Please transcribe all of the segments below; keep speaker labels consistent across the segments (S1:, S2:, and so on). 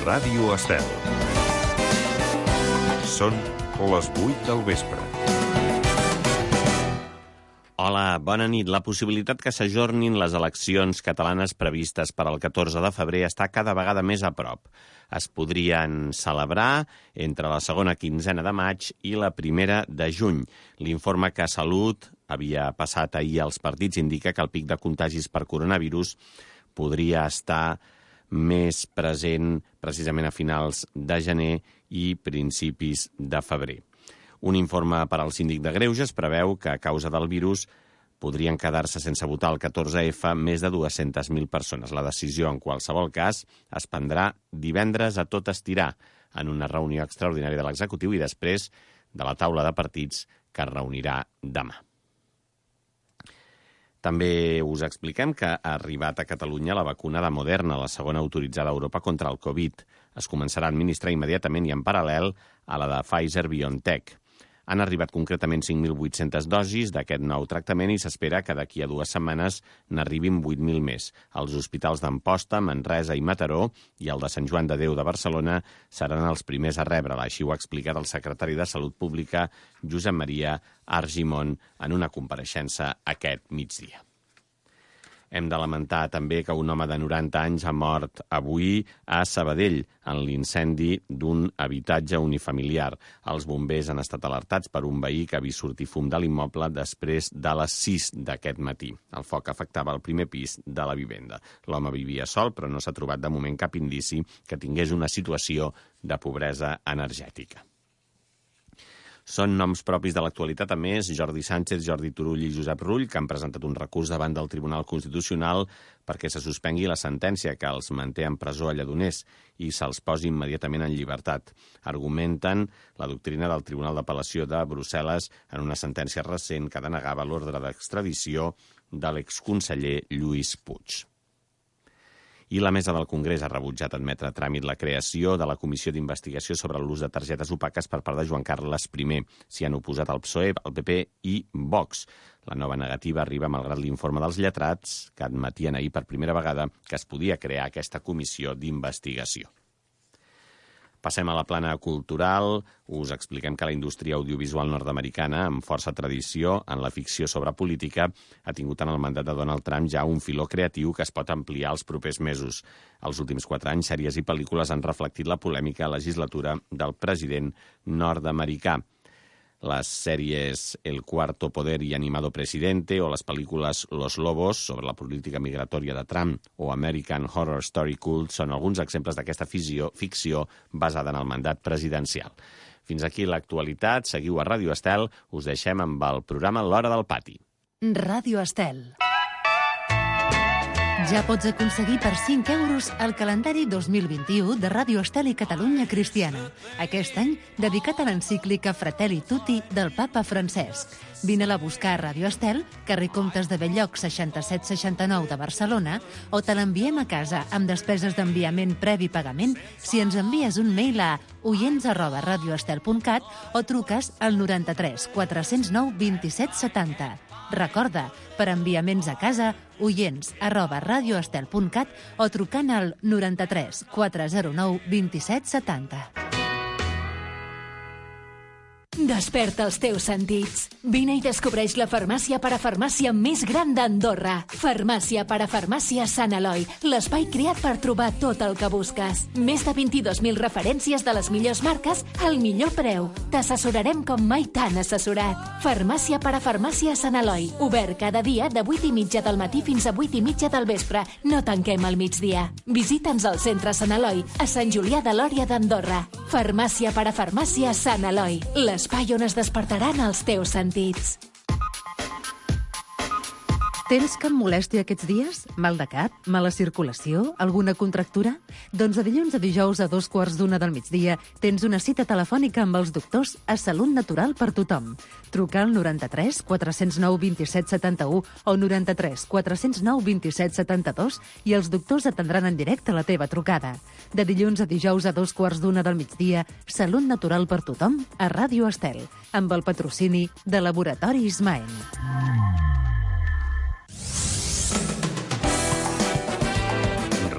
S1: Ràdio Estel. Són les 8 del vespre.
S2: Hola, bona nit. La possibilitat que s'ajornin les eleccions catalanes previstes per al 14 de febrer està cada vegada més a prop. Es podrien celebrar entre la segona quinzena de maig i la primera de juny. L'informe que Salut havia passat ahir als partits indica que el pic de contagis per coronavirus podria estar més present precisament a finals de gener i principis de febrer. Un informe per al síndic de Greuges preveu que a causa del virus podrien quedar-se sense votar el 14F més de 200.000 persones. La decisió, en qualsevol cas, es prendrà divendres a tot estirar en una reunió extraordinària de l'executiu i després de la taula de partits que es reunirà demà. També us expliquem que ha arribat a Catalunya la vacuna de Moderna, la segona autoritzada a Europa contra el Covid. Es començarà a administrar immediatament i en paral·lel a la de Pfizer-BioNTech. Han arribat concretament 5.800 dosis d'aquest nou tractament i s'espera que d'aquí a 2 setmanes n'arribin 8.000 més. Els hospitals d'Amposta, Manresa i Mataró i el de Sant Joan de Déu de Barcelona seran els primers a rebre-la. Així ho ha explicat el secretari de Salut Pública, Josep Maria Argimon, en una compareixença aquest migdia. Hem de lamentar també que un home de 90 anys ha mort avui a Sabadell en l'incendi d'un habitatge unifamiliar. Els bombers han estat alertats per un veí que ha vist sortir fum de l'immoble després de les 6 d'aquest matí. El foc afectava el primer pis de la vivenda. L'home vivia sol, però no s'ha trobat de moment cap indici que tingués una situació de pobresa energètica. Són noms propis de l'actualitat, a més, Jordi Sánchez, Jordi Turull i Josep Rull, que han presentat un recurs davant del Tribunal Constitucional perquè se suspengui la sentència que els manté en presó a Lledoners i se'ls posi immediatament en llibertat. Argumenten la doctrina del Tribunal d'Apel·lació de Brussel·les en una sentència recent que denegava l'ordre d'extradició de l'exconseller Lluís Puig. I la Mesa del Congrés ha rebutjat admetre a tràmit la creació de la Comissió d'Investigació sobre l'ús de targetes opaques per part de Joan Carles I. S'hi han oposat el PSOE, el PP i Vox. La nova negativa arriba malgrat l'informe dels lletrats que admetien ahir per primera vegada que es podia crear aquesta comissió d'investigació. Passem a la plana cultural. Us expliquem que la indústria audiovisual nord-americana, amb força tradició en la ficció sobre política, ha tingut en el mandat de Donald Trump ja un filó creatiu que es pot ampliar els propers mesos. Els últims 4 anys, sèries i pel·lícules han reflectit la polèmica legislatura del president nord-americà. Les sèries El Cuarto Poder i Animado Presidente o les pel·lícules Los Lobos sobre la política migratòria de Trump o American Horror Story Cult són alguns exemples d'aquesta ficció basada en el mandat presidencial. Fins aquí l'actualitat. Seguiu a Ràdio Estel. Us deixem amb el programa L'Hora del Pati.
S3: Ràdio Estel. Ja pots aconseguir per 5 euros el calendari 2021 de Ràdio Estel i Catalunya Cristiana. Aquest any dedicat a l'encíclica Fratelli Tutti del papa Francesc. Vine-la a buscar a Ràdio Estel, carrer Comtes de Belloc 6769 de Barcelona, o te l'enviem a casa amb despeses d'enviament previ pagament si ens envies un mail a oients@radioestel.cat o truques al 93 409 27 70. Recorda, per enviaments a casa, oients@radioestel.cat o trucant al 93 409 27 70. Desperta els teus sentits. Vine i descobreix la farmàcia parafarmàcia més gran d'Andorra. Farmàcia parafarmàcia Sant Eloi, l'espai creat per trobar tot el que busques. Més de 22.000 referències de les millors marques al millor preu. T'assessorarem com mai t'han assessorat. Farmàcia parafarmàcia Sant Eloi, obert cada dia de 8:30 del matí fins a 8:30 del vespre. No tanquem al migdia. Visita'ns al centre Sant Eloi, a Sant Julià de Lòria d'Andorra. Farmàcia parafarmàcia Sant Eloi, l'espai on es despertaran els teus sentits. Tens cap molèstia aquests dies? Mal de cap? Mala circulació? Alguna contractura? Doncs de dilluns a dijous a 2:15 del migdia tens una cita telefònica amb els doctors a Salut Natural per tothom. Truca al 93 409 27 71 o 93 409 27 72 i els doctors atendran en directe la teva trucada. De dilluns a dijous a 2:15 del migdia, Salut Natural per tothom a Ràdio Estel, amb el patrocini de Laboratori Ismael.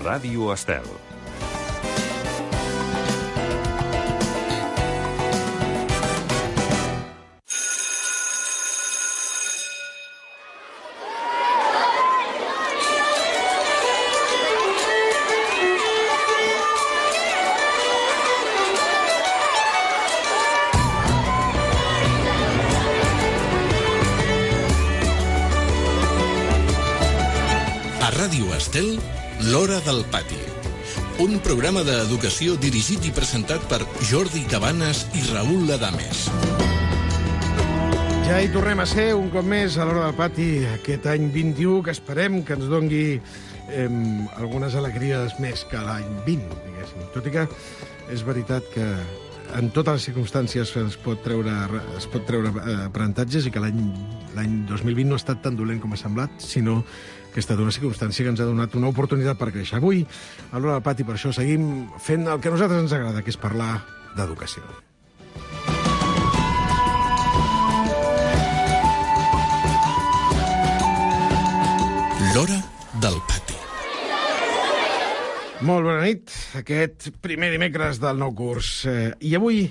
S1: Ràdio Estel.
S4: Montiel, L'Hora del Pati. Un programa d'educació dirigit i presentat per Jordi Cabanes i Raül Ladames.
S5: Ja hi tornem a ser un cop més a l'Hora del Pati aquest any 21, que esperem que ens dongui algunes alegries més que l'any 20, diguéssim. Tot i que és veritat que en totes les circumstàncies es pot treure aprenentatges i que l'any 2020 no ha estat tan dolent com ha semblat, sinó que ha estat una circumstància que ens ha donat una oportunitat per créixer. Avui, a l'Hora del Pati, per això seguim fent el que a nosaltres ens agrada, que és parlar d'educació.
S4: L'Hora del Pati.
S5: Molt bona nit, aquest primer dimecres del nou curs. I avui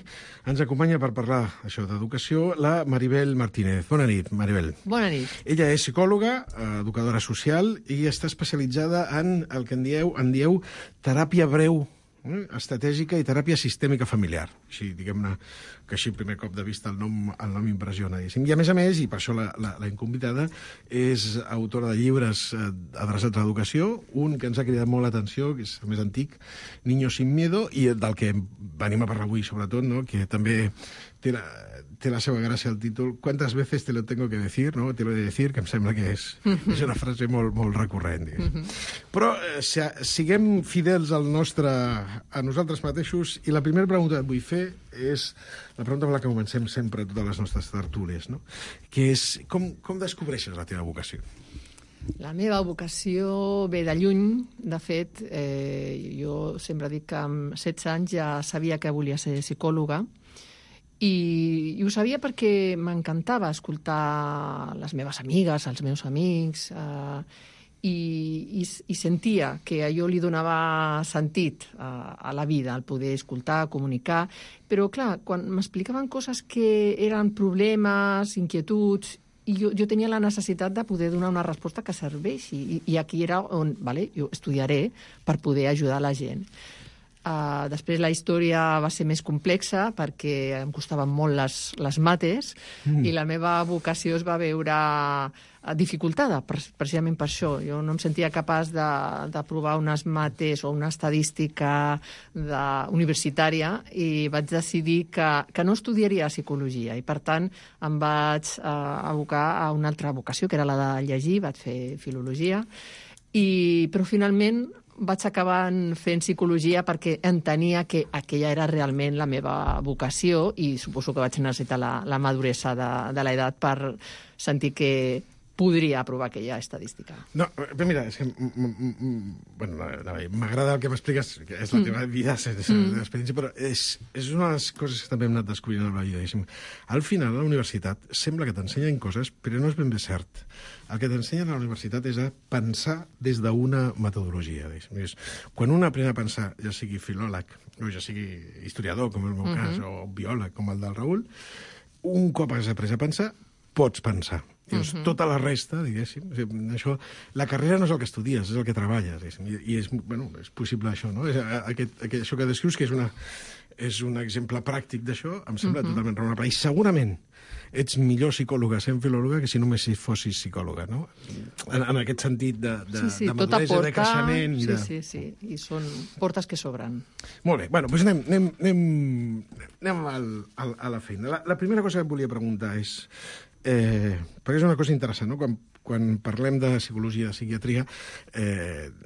S5: ens acompanya per parlar això d'educació la Maribel Martínez. Bona nit, Maribel.
S6: Bona nit.
S5: Ella és psicòloga, educadora social i està especialitzada en el que en dieu teràpia breu, estratègica i teràpia sistèmica familiar. Així, diguem-ne, que així, primer cop de vista, el nom impressiona. I a més, i per això l'hem convidada, és autora de llibres adreçats a l'educació, un que ens ha cridat molt l'atenció, que és el més antic, Niños sin miedo, i del que venim a parlar avui, sobretot, no? Que també té la seva gràcia el títol «Cuántas veces te lo tengo que decir?», no? «Te lo he de decir», que em sembla que és una frase molt recurrent. Però siguem fidels a nosaltres mateixos, i la primera pregunta que et vull fer és la pregunta amb la que comencem sempre totes les nostres tertúlies, no? Que és com descobreixes la teva vocació?
S6: La meva vocació ve de lluny. De fet, jo sempre dic que amb 16 anys ja sabia que volia ser psicòloga, i ho sabia perquè m'encantava escoltar les meves amigues, els meus amics, i sentia que allò li donava sentit a la vida, el poder escoltar, comunicar. Però, clar, quan m'explicaven coses que eren problemes, inquietuds, i jo tenia la necessitat de poder donar una resposta que serveixi. I aquí era on jo estudiaré per poder ajudar la gent. Després la història va ser més complexa perquè em costaven molt les mates i la meva vocació es va veure dificultada precisament per això. Jo no em sentia capaç d'aprovar unes mates o una estadística universitària i vaig decidir que no estudiaria psicologia i per tant em vaig abocar a una altra vocació, que era la de llegir, vaig fer filologia, però finalment vaig acabar fent psicologia perquè entenia que aquella era realment la meva vocació i suposo que vaig necessitar la maduresa de l'edat per sentir que podria aprovar aquella estadística.
S5: No, però mira, és que m'agrada el que m'expliques, que és la teva vida, és la teva experiència, però és una de les coses que també hem anat descobrint a la vida. Al final, a la universitat, sembla que t'ensenyen coses, però no és ben bé cert. El que t'ensenyen a la universitat és a pensar des d'una metodologia. Quan un aprèn a pensar, ja sigui filòleg, o ja sigui historiador, com el meu cas, o biòleg, com el del Raül, un cop has après a pensar, pots pensar. Tota la resta, diguéssim, això, la carrera no és el que estudies, és el que treballes, i és possible això, no? Això que descrius, que és un exemple pràctic d'això, em sembla totalment raonable. I segurament ets millor psicòloga sent filòloga que si només fossis psicòloga, no? En aquest sentit de maduresa, de creixement...
S6: Sí, i són portes que s'obren.
S5: Molt bé, doncs anem a la feina. La primera cosa que et volia preguntar és... perquè és una cosa interessant, no? Quan parlem de psicologia, de psiquiatria,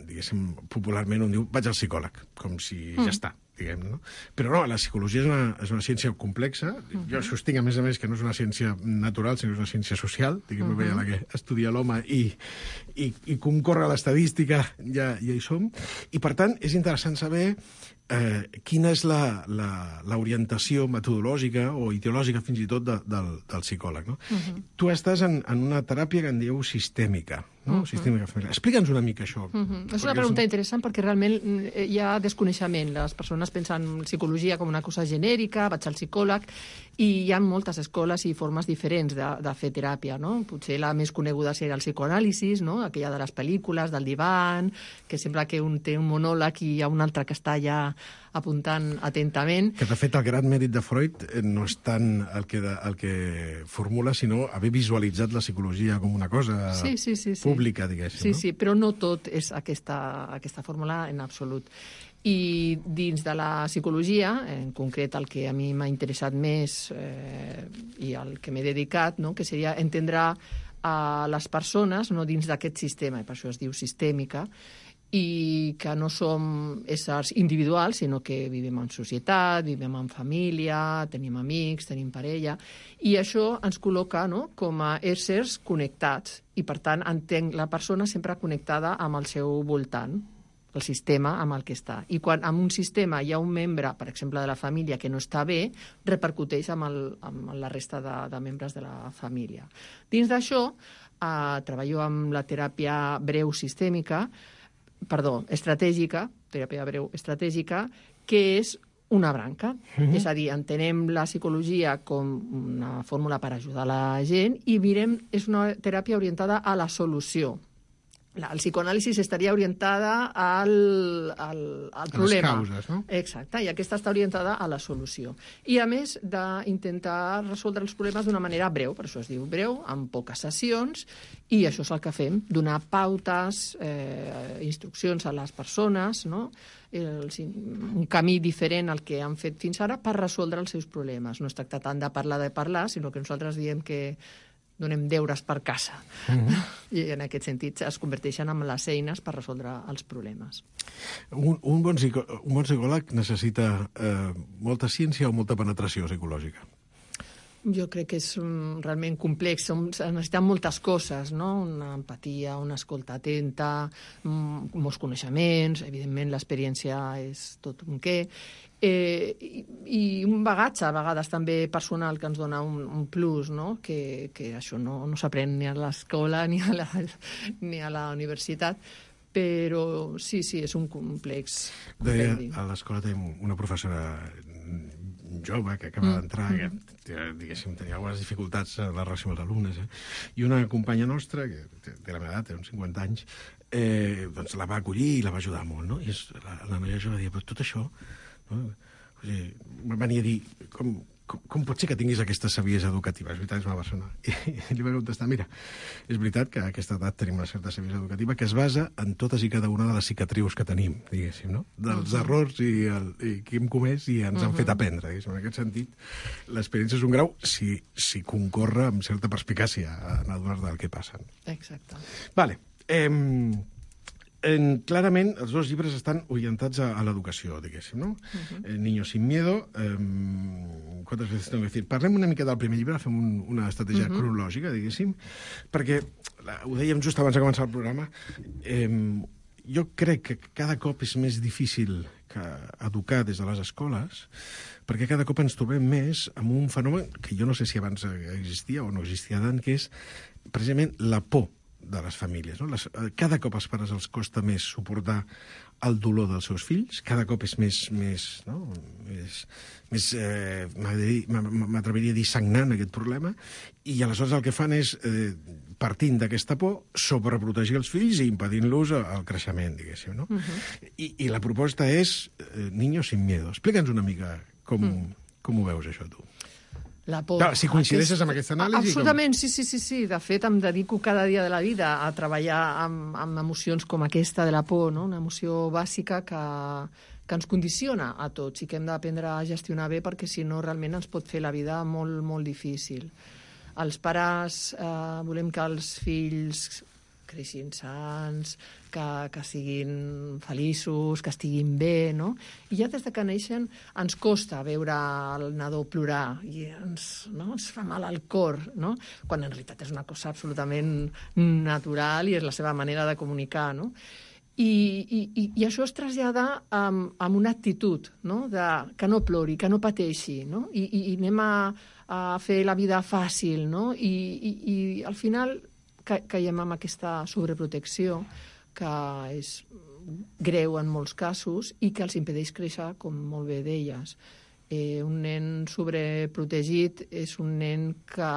S5: diguéssim, popularment un diu vaig al psicòleg, com si ja està, diguem, no? Però no, la psicologia és una ciència complexa. Jo sostinc, a més, que no és una ciència natural, sinó que és una ciència social, diguem, la que estudia l'home i concorre a l'estadística, ja hi som. I, per tant, és interessant saber quina és l'orientació metodològica o ideològica, fins i tot, del psicòleg, no? Tu estàs en una teràpia que en dieu sistèmica, no? Sistèmica familiar. Explica'ns una mica això.
S6: És una pregunta interessant perquè realment hi ha desconeixement. Les persones pensen en psicologia com una cosa genèrica, vaig al psicòleg, i hi ha moltes escoles i formes diferents de fer teràpia, no? Potser la més coneguda seria el psicoanàlisis, no? Aquella de les pel·lícules, del divan, que sembla que un té un monòleg i hi ha un altre que està allà apuntant atentament.
S5: Que, de fet, el gran mèrit de Freud no és tant el que formula, sinó haver visualitzat la psicologia com una cosa pública, diguéssim.
S6: Sí, però no tot és aquesta fórmula en absolut. I dins de la psicologia, en concret el que a mi m'ha interessat més i al que m'he dedicat, no? Que seria entendre a les persones no dins d'aquest sistema, i per això es diu sistèmica, i que no som éssers individuals, sinó que vivim en societat, vivim en família, tenim amics, tenim parella, i això ens col·loca, no?, com a éssers connectats, i per tant entenc la persona sempre connectada amb el seu voltant, el sistema amb el que està. I quan en un sistema hi ha un membre, per exemple, de la família que no està bé, repercuteix amb la resta de membres de la família. Dins d'això, treballo amb la teràpia estratègica, teràpia breu estratègica, que és una branca. És a dir, entenem la psicologia com una fórmula per ajudar la gent i és una teràpia orientada a la solució. El psicoanàlisi estaria orientada al problema.
S5: A les causes, no?
S6: Exacte, i aquesta està orientada a la solució. I, a més, d'intentar resoldre els problemes d'una manera breu, per això es diu breu, amb poques sessions, i això és el que fem, donar pautes, instruccions a les persones, no? Un camí diferent al que han fet fins ara per resoldre els seus problemes. No es tracta tant de parlar, sinó que nosaltres diem que donem deures per casa. I en aquest sentit es converteixen en les eines per resoldre els problemes.
S5: Un bon psicòleg necessita molta ciència o molta penetració psicològica?
S6: Jo crec que és realment complex. Necessitem moltes coses, no? Una empatia, una escolta atenta, molts coneixements, evidentment l'experiència és tot un què, i un bagatge, a vegades també personal, que ens dona un plus, no? Que això no s'aprèn ni a l'escola ni a la universitat, però sí, és un complex.
S5: Deia, a l'escola tenim una professora jove que acaba d'entrar, que diguéssim, tenia algunes dificultats en la relació amb els alumnes, i una companya nostra, que té la meva edat, té uns 50 anys, doncs la va acollir i la va ajudar molt, no? I la noia jove va dir, però tot això, no? O sigui, venia a dir, com pot ser que tinguis aquesta saviesa educativa? És veritat, és una persona. I li va contestar, mira, és veritat que a aquesta edat tenim una certa saviesa educativa que es basa en totes i cada una de les cicatrius que tenim, diguéssim, no? Dels errors i que hem comès i ens han fet aprendre, diguéssim. En aquest sentit, l'experiència és un grau si concorre amb certa perspicàcia en adonar del que passen.
S6: Exacte.
S5: Vale. Clarament, els dos llibres estan orientats a l'educació, diguéssim, no? Niños sin miedo, ¿cuántas veces tengo que decir? Parlem una mica del primer llibre, fem una estratègia cronològica, diguéssim, perquè, ho dèiem just abans de començar el programa, jo crec que cada cop és més difícil educar des de les escoles, perquè cada cop ens trobem més amb un fenomen que jo no sé si abans existia o no existia tant, que és precisament la por de les famílies, no? Cada cop als pares els costa més suportar el dolor dels seus fills, cada cop és més m'atreviria a dir sagnant aquest problema, i aleshores el que fan és, partint d'aquesta por, sobreprotegir els fills i impedint-los el creixement, diguéssim, no? I la proposta és Niños sin miedo. Explica'ns una mica com ho veus, això, tu.
S6: La por.
S5: Clar, si coincideixes amb aquesta anàlisi...
S6: Absolutament, sí. De fet, em dedico cada dia de la vida a treballar amb emocions com aquesta de la por, no? Una emoció bàsica que ens condiciona a tots i que hem d'aprendre a gestionar bé, perquè si no realment ens pot fer la vida molt, molt difícil. Els pares volem que els fills creixin sans, que siguin feliços, que estiguin bé, no? I ja des de que neixen ens costa veure el nadó plorar i ens fa mal al cor, no? Quan en realitat és una cosa absolutament natural i és la seva manera de comunicar, no? I això es trasllada amb una actitud, no? Que no plori, que no pateixi, no? I anem a fer la vida fàcil, no? I al final caiem amb aquesta sobreprotecció que és greu en molts casos i que els impedeix créixer, com molt bé deies. Un nen sobreprotegit és un nen que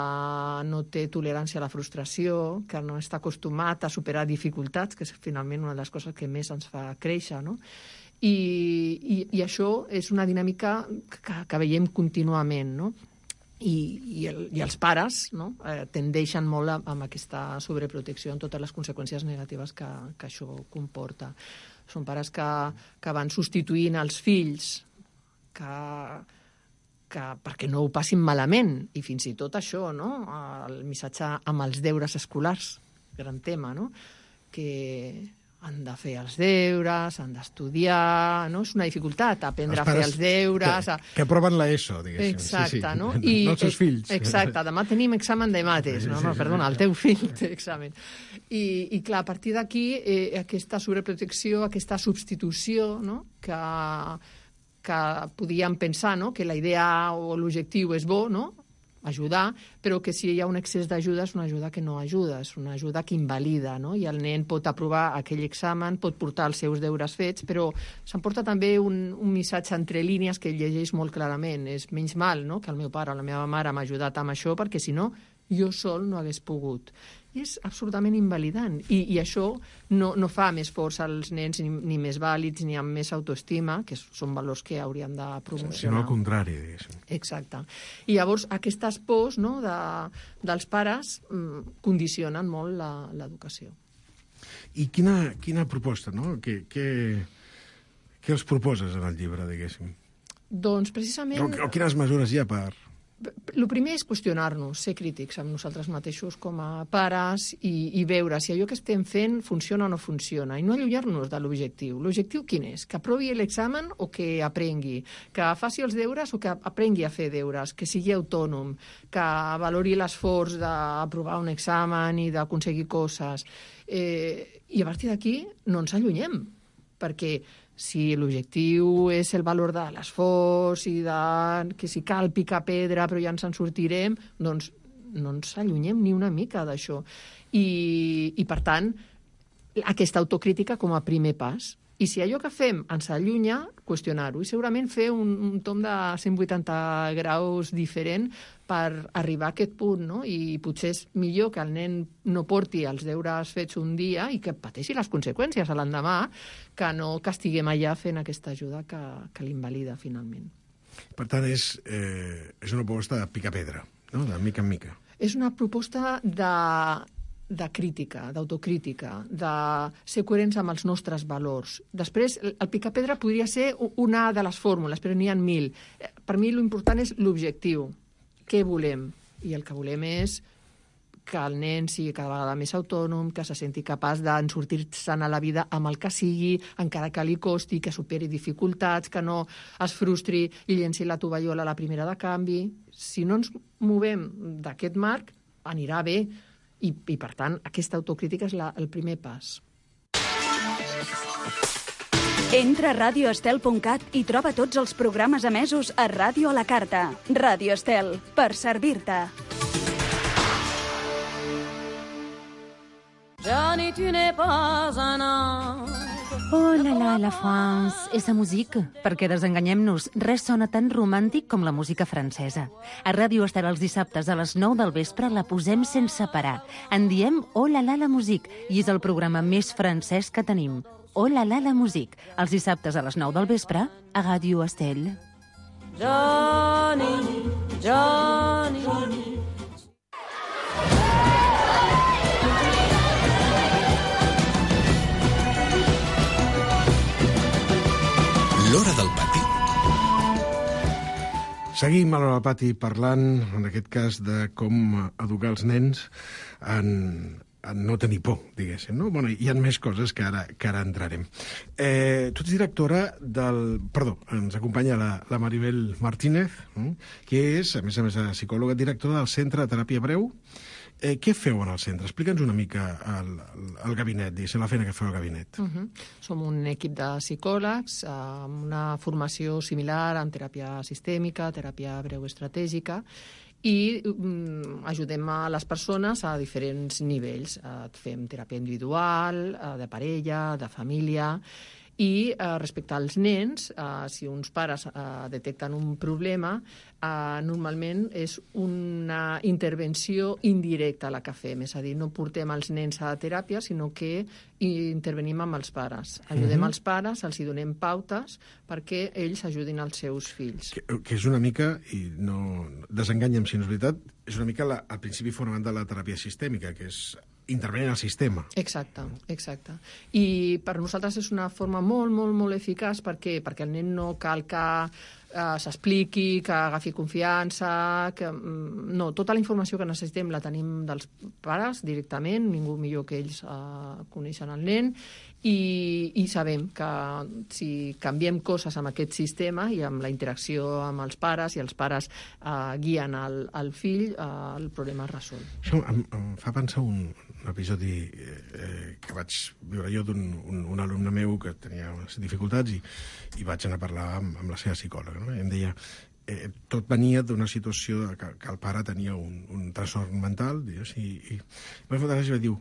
S6: no té tolerància a la frustració, que no està acostumat a superar dificultats, que és finalment una de les coses que més ens fa créixer, no? I això és una dinàmica que veiem contínuament, no? I els pares, no? Tendeixen molt amb aquesta sobreprotecció en totes les conseqüències negatives que això comporta. Són pares que van substituint els fills perquè no ho passin malament, i fins i tot això, no? El missatge amb els deures escolars, gran tema, no? Que han de fer els deures, han d'estudiar, no? És una dificultat aprendre a fer els deures.
S5: Que aproven l'ESO, diguéssim.
S6: Exacte, no?
S5: No els seus fills.
S6: Exacte, demà tenim examen de mates. No, perdona, el teu fill té examen. I clar, a partir d'aquí, aquesta sobreprotecció, aquesta substitució, no? Que podíem pensar, no? Que la idea o l'objectiu és bo, no? Ajudar, però que si hi ha un excés d'ajuda és una ajuda que no ajuda, és una ajuda que invalida, no? I el nen pot aprovar aquell examen, pot portar els seus deures fets, però s'emporta també un missatge entre línies que ell llegeix molt clarament. És menys mal, no?, que el meu pare o la meva mare m'ha ajudat amb això, perquè si no, jo sol no hagués pogut. I és absolutament invalidant. I això no fa més forts als nens, ni més vàlids, ni amb més autoestima, que són valors que hauríem de promocionar.
S5: Sinó al contrari, diguéssim.
S6: Exacte. I llavors aquestes pors, no, dels pares condicionen molt l'educació.
S5: I quina proposta, no? Què els proposes en el llibre, diguéssim?
S6: Doncs precisament...
S5: O quines mesures hi ha per...
S6: El primer és qüestionar-nos, ser crítics amb nosaltres mateixos com a pares i veure si allò que estem fent funciona o no funciona, i no allunyar-nos de l'objectiu. L'objectiu quin és? Que aprovi l'examen o que aprengui? Que faci els deures o que aprengui a fer deures? Que sigui autònom? Que valori l'esforç d'aprovar un examen i d'aconseguir coses? I a partir d'aquí no ens allunyem, perquè si l'objectiu és el valor de l'esforç i que si cal picar pedra però ja ens en sortirem, doncs no ens allunyem ni una mica d'això. I per tant, aquesta autocrítica com a primer pas. I si allò que fem ens allunya, qüestionar-ho. I segurament fer un tom de 180 graus diferent per arribar a aquest punt, no? I potser és millor que el nen no porti els deures fets un dia i que pateixi les conseqüències a l'endemà, que no que estiguem allà fent aquesta ajuda que l'invalida finalment.
S5: Per tant, és una proposta de picar pedra, no? De mica en mica.
S6: És una proposta de crítica, d'autocrítica, de ser coherents amb els nostres valors. Després, el picapedra podria ser una de les fórmules, però n'hi ha 1000. Per mi l'important és l'objectiu. Què volem? I el que volem és que el nen sigui cada vegada més autònom, que se senti capaç d'en sortir-se'n a la vida amb el que sigui, encara que li costi, que superi dificultats, que no es frustri i llenci la tovallola a la primera de canvi. Si no ens movem d'aquest marc, anirà bé. I per tant, aquesta autocrítica és el primer pas.
S7: Entra a radioestel.cat i troba tots els programes emesos a Ràdio a la Carta. Ràdio Estel, per servir-te.
S8: Johnny, tu n'es pas un ange.
S9: Oh la France, esa musique. Perquè desenganyem-nos, res sona tan romàntic com la música francesa. A Ràdio Estel els dissabtes a les 9 del vespre la posem sense parar. En diem Oh la musique i és el programa més francès que tenim. Oh la musique, els dissabtes a les 9 del vespre a Ràdio Estel.
S8: Johnny, Johnny, Johnny.
S4: L'Hora del Pati.
S5: Seguim a l'Hora del Pati parlant, en aquest cas, de com educar els nens en no tenir por, diguéssim, no? Bueno, hi ha més coses que ara entrarem. Tu ets directora del... Perdó, ens acompanya la Maribel Martínez, que és, a més, psicòloga, directora del Centre de Teràpia Breu. Què feu en el centre? Explica'ns una mica el gabinet, diguéssim, la feina que feu al gabinet.
S6: Som un equip de psicòlegs amb una formació similar en teràpia sistèmica, teràpia breu estratègica, i ajudem a les persones a diferents nivells. Fem teràpia individual, de parella, de família, I respecte als nens, si uns pares detecten un problema, normalment és una intervenció indirecta la que fem, és a dir, no portem els nens a teràpia, sinó que intervenim amb els pares. Ajudem els pares, els hi donem pautes perquè ells ajudin els seus fills.
S5: Que és una mica, i no desenganyem si no és veritat, és una mica el principi fonamental de la teràpia sistèmica, que és intervenir en el sistema.
S6: Exacte. I per nosaltres és una forma molt, molt, molt eficaç perquè el nen no cal que s'expliqui, que agafi confiança, no, tota la informació que necessitem la tenim dels pares directament, ningú millor que ells coneixen el nen, i sabem que si canviem coses amb aquest sistema i amb la interacció amb els pares i els pares guien el fill, el problema es resol.
S5: Això em fa pensar un episodi que vaig viure jo d'un alumne meu que tenia unes dificultats i vaig anar a parlar amb la seva psicòloga. No? I em deia, tot venia d'una situació que el pare tenia un trastorn mental, i va fer i va dir,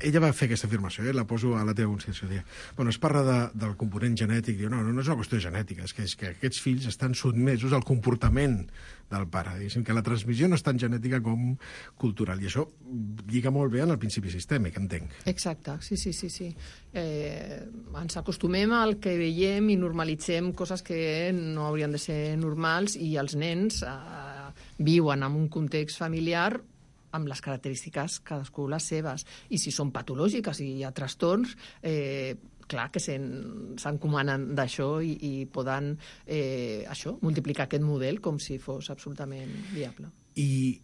S5: ella va fer aquesta afirmació, la poso a la teva consciència, deia, bueno, es parla del component genètic, diu, no és una qüestió genètica, és que aquests fills estan sotmesos al comportament del pare, diguéssim que la transmissió no és tan genètica com cultural, i això lliga molt bé en el principi sistèmic, entenc.
S6: Exacte, sí. Ens acostumem al que veiem i normalitzem coses que no haurien de ser normals, i els nens viuen en un context familiar amb les característiques cadascú les seves, i si són patològiques i hi ha trastorns, clar que s'encomanen d'això i poden multiplicar aquest model com si fos absolutament viable.
S5: I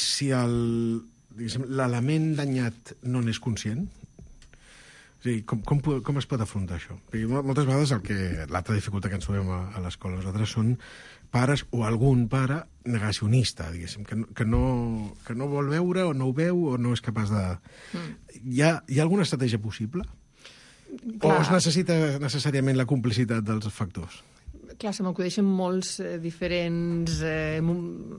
S5: si l'element danyat no n'és conscient? O sigui, com es pot afrontar això? Perquè moltes vegades l'altra dificultat que ens trobem a l'escola nosaltres són pares o algun pare negacionista, diguéssim, que no vol veure o no ho veu o no és capaç de... Hi ha alguna estratègia possible? Clar. O es necessita necessàriament la complicitat dels factors?
S6: Clar, se m'acudeixen molts diferents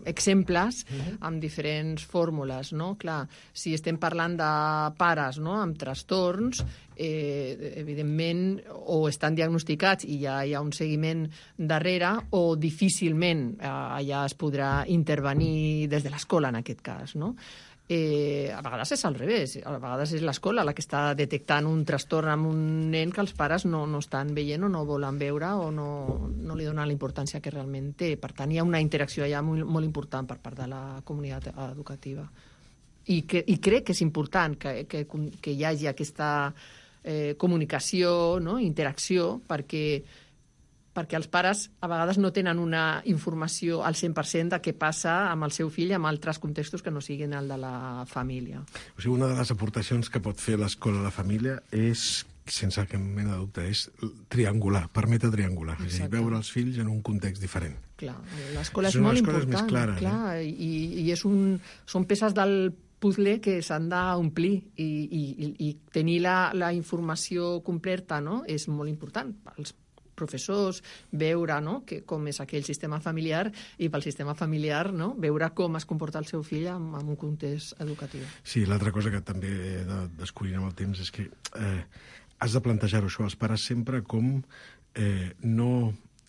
S6: exemples amb diferents fórmules, no? Clar, si estem parlant de pares, no?, amb trastorns, evidentment, o estan diagnosticats i ja hi ha un seguiment darrere, o difícilment allà es podrà intervenir des de l'escola, en aquest cas, no? A vegades és al revés, a vegades és l'escola la que està detectant un trastorn amb un nen que els pares no estan veient o no volen veure o no li donen la importància que realment té. Per tant, hi ha una interacció allà molt important per part de la comunitat educativa. I crec que és important que hi hagi aquesta comunicació, no?, interacció, perquè els pares a vegades no tenen una informació al 100% de què passa amb el seu fill en altres contextos que no siguin el de la família.
S5: O sigui, una de les aportacions que pot fer l'escola a la família és, sense cap mena de dubte, és triangular, permetre triangular, és a dir, veure els fills en un context diferent.
S6: Clar, l'escola és molt important.
S5: Més clares,
S6: clar, i són peces del puzzle que s'han d'omplir i tenir la informació completa, no?, és molt important pels professors, veure, no?, com és aquell sistema familiar, i pel sistema familiar, no?, veure com es comporta el seu fill en un context educatiu.
S5: Sí, l'altra cosa que també he de descobrir amb el temps és que has de plantejar-ho això als pares sempre com no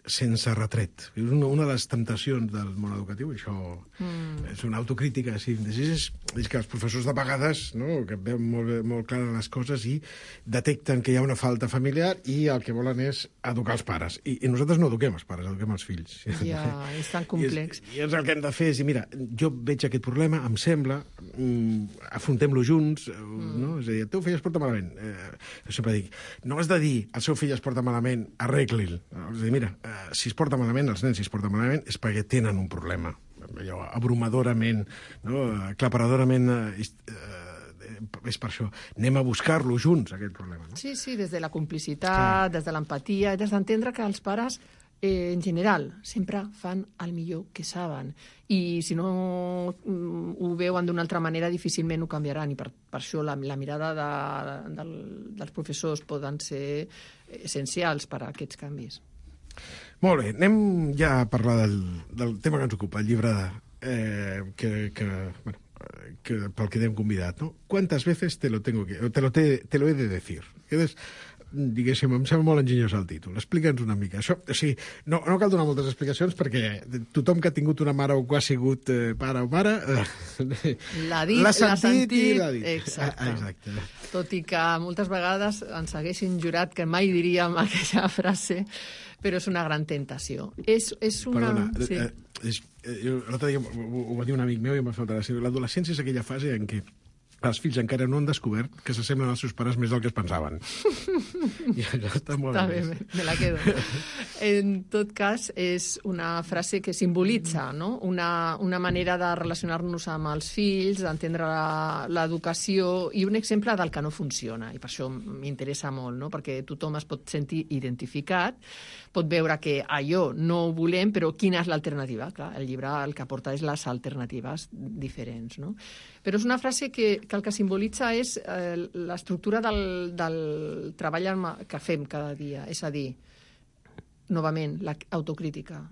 S5: sense retret. És una de les temptacions del món educatiu, això és una autocrítica, sí, és que els professors de vegades, no?, que veuen molt clares les coses i detecten que hi ha una falta familiar i el que volen és educar els pares. I nosaltres no eduquem els pares, eduquem els fills.
S6: Ja, és tan complex.
S5: I el que hem de fer és dir, mira, jo veig aquest problema, em sembla, afrontem-lo junts, no? És a dir, el teu fill es porta malament. Jo sempre dic, no has de dir, el seu fill es porta malament, arregli-l. És a dir, mira, si es porta malament, els nens si es porta malament, és perquè tenen un problema. Allò, abrumadorament, no? Aclaparadorament, és per això. Anem a buscar-lo junts, aquest problema. No?
S6: Sí, des de la complicitat, des de l'empatia, des d'entendre que els pares, en general, sempre fan el millor que saben. I si no ho veuen d'una altra manera, difícilment ho canviaran. I per això la mirada dels professors poden ser essencials per a aquests canvis.
S5: Molt bé, anem ja a parlar del tema que ens ocupa, el llibre pel que t'hem convidat, ¿no? ¿Cuántas veces te lo he de decir? diguéssim, em sembla molt enginyós el títol. Explica'ns una mica. Això, o sigui, no cal donar moltes explicacions perquè tothom que ha tingut una mare o que ha sigut pare o mare
S6: l'ha sentit
S5: i l'ha dit.
S6: Exacte. Tot i que moltes vegades ens haguessin jurat que mai diríem aquella frase, però és una gran tentació. És una...
S5: Perdona,
S6: sí.
S5: L'altre dia ho va dir un amic meu i em va fer molta gràcia. L'adolescència és aquella fase en què els fills encara no han descobert que s'assemblen als seus pares més del que es pensaven. I allò està molt
S6: bé. Me la quedo. En tot cas, és una frase que simbolitza, no? Una manera de relacionar-nos amb els fills, d'entendre l'educació i un exemple del que no funciona. I per això m'interessa molt, no? Perquè tothom es pot sentir identificat, pot veure que allò no ho volem, però quina és l'alternativa? Clar, el llibre el que aporta és les alternatives diferents, no? Però és una frase que el que simbolitza és l'estructura del treball que fem cada dia. És a dir, novament, l'autocrítica.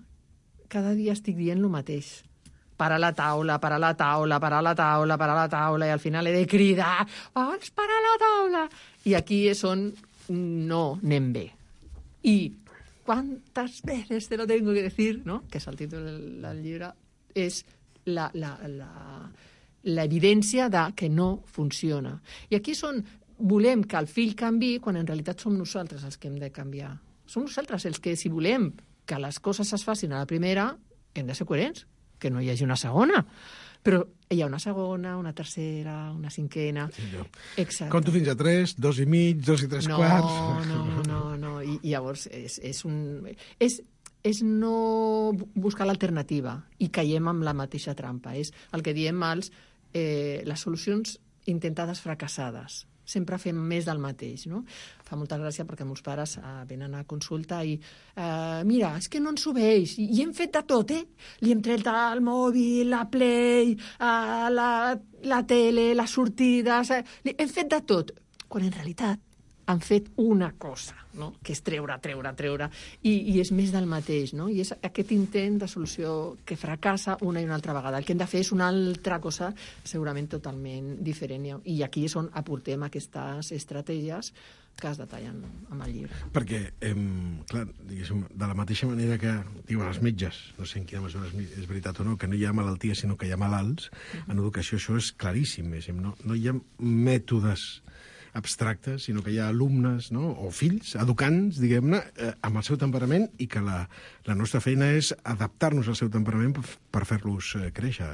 S6: Cada dia estic dient el mateix. Parar la taula, parar la taula, parar la taula, parar la taula, i al final he de cridar, vamos, parar la taula! I aquí és on no anem bé. I ¿cuántas veces te lo tengo que decir? ¿No? Que és el títol del llibre. És l'evidència de que no funciona. I aquí volem que el fill canvi quan en realitat som nosaltres els que hem de canviar. Som nosaltres els que, si volem que les coses es facin a la primera, hem de ser coherents, que no hi hagi una segona. Però hi ha una segona, una tercera, una cinquena...
S5: Exacte. Conto fins a 3, 2 i mig, 2 i 3 quarts...
S6: No. I llavors és no buscar l'alternativa i caiem amb la mateixa trampa. És el que diem les solucions intentades fracassades. Sempre fem més del mateix, no? Fa molta gràcia perquè molts pares venen a consulta i mira, és que no ens obeix, i hem fet de tot, Li hem tret el mòbil, la Play, la tele, les sortides... Hem fet de tot, quan en realitat han fet una cosa, no? Que és treure, i és més del mateix, no? I és aquest intent de solució que fracassa una i una altra vegada. El que hem de fer és una altra cosa segurament totalment diferent, i aquí és on aportem aquestes estratègies que es detallen amb el llibre.
S5: Perquè, clar, diguéssim, de la mateixa manera que diuen els metges, no sé en quina mesura és veritat o no, que no hi ha malaltia sinó que hi ha malalts, en educació això és claríssim, no hi ha mètodes abstractes, sinó que hi ha alumnes, no? O fills, educants, diguem-ne, amb el seu temperament, i que la nostra feina és adaptar-nos al seu temperament per fer-los créixer.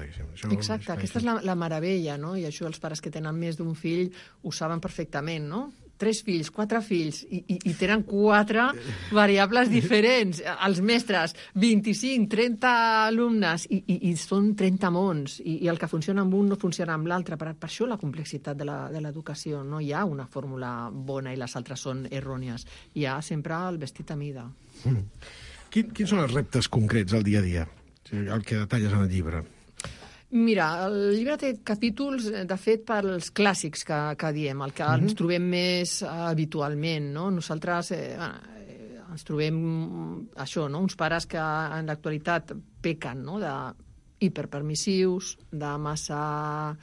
S6: Exacte, aquesta és la meravella, no? I això els pares que tenen més d'un fill ho saben perfectament, no? 3 fills, 4 fills, i tenen 4 variables diferents. Els mestres, 25, 30 alumnes, i són 30 mons, i el que funciona amb un no funciona amb l'altre. Per això la complexitat de l'educació. No hi ha una fórmula bona i les altres són errònies. Hi ha sempre el vestit a mida.
S5: Quins són els reptes concrets al dia a dia? El que detalles en el llibre.
S6: Mira, el llibre té capítols, de fet, pels clàssics que diem, el que ens trobem més habitualment, no? Nosaltres ens trobem això, no? Uns pares que en l'actualitat pequen, no? De hiperpermissius, de massa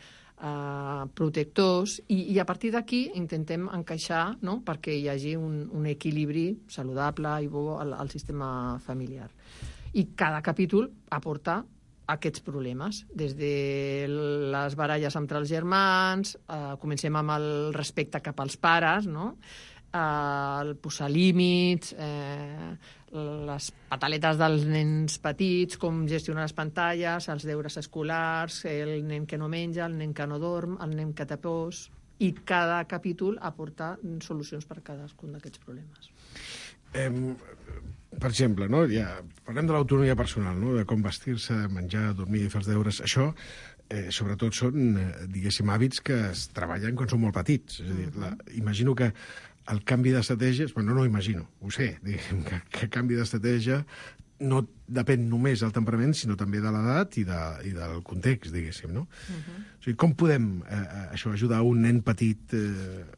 S6: protectors, i a partir d'aquí intentem encaixar, no? Perquè hi hagi un equilibri saludable i bo al sistema familiar. I cada capítol aporta aquests problemes, des de les baralles entre els germans, comencem amb el respecte cap als pares, no? El posar límits, les pataletes dels nens petits, com gestionar les pantalles, els deures escolars, el nen que no menja, el nen que no dorm, el nen que té pors, i cada capítol aporta solucions per a cadascun d'aquests problemes.
S5: Per exemple, no? Parlem de l'autonomia personal, no? De com vestir-se, menjar, dormir, fer els deures. Això, sobretot, són, diguéssim, hàbits que es treballen quan són molt petits. És a dir, imagino que el canvi d'estratègies... Bueno, no imagino, ho sé, diguéssim, que el canvi d'estratègia no depèn només del temperament, sinó també de l'edat i del context, diguéssim, no? O sigui, com podem ajudar un nen petit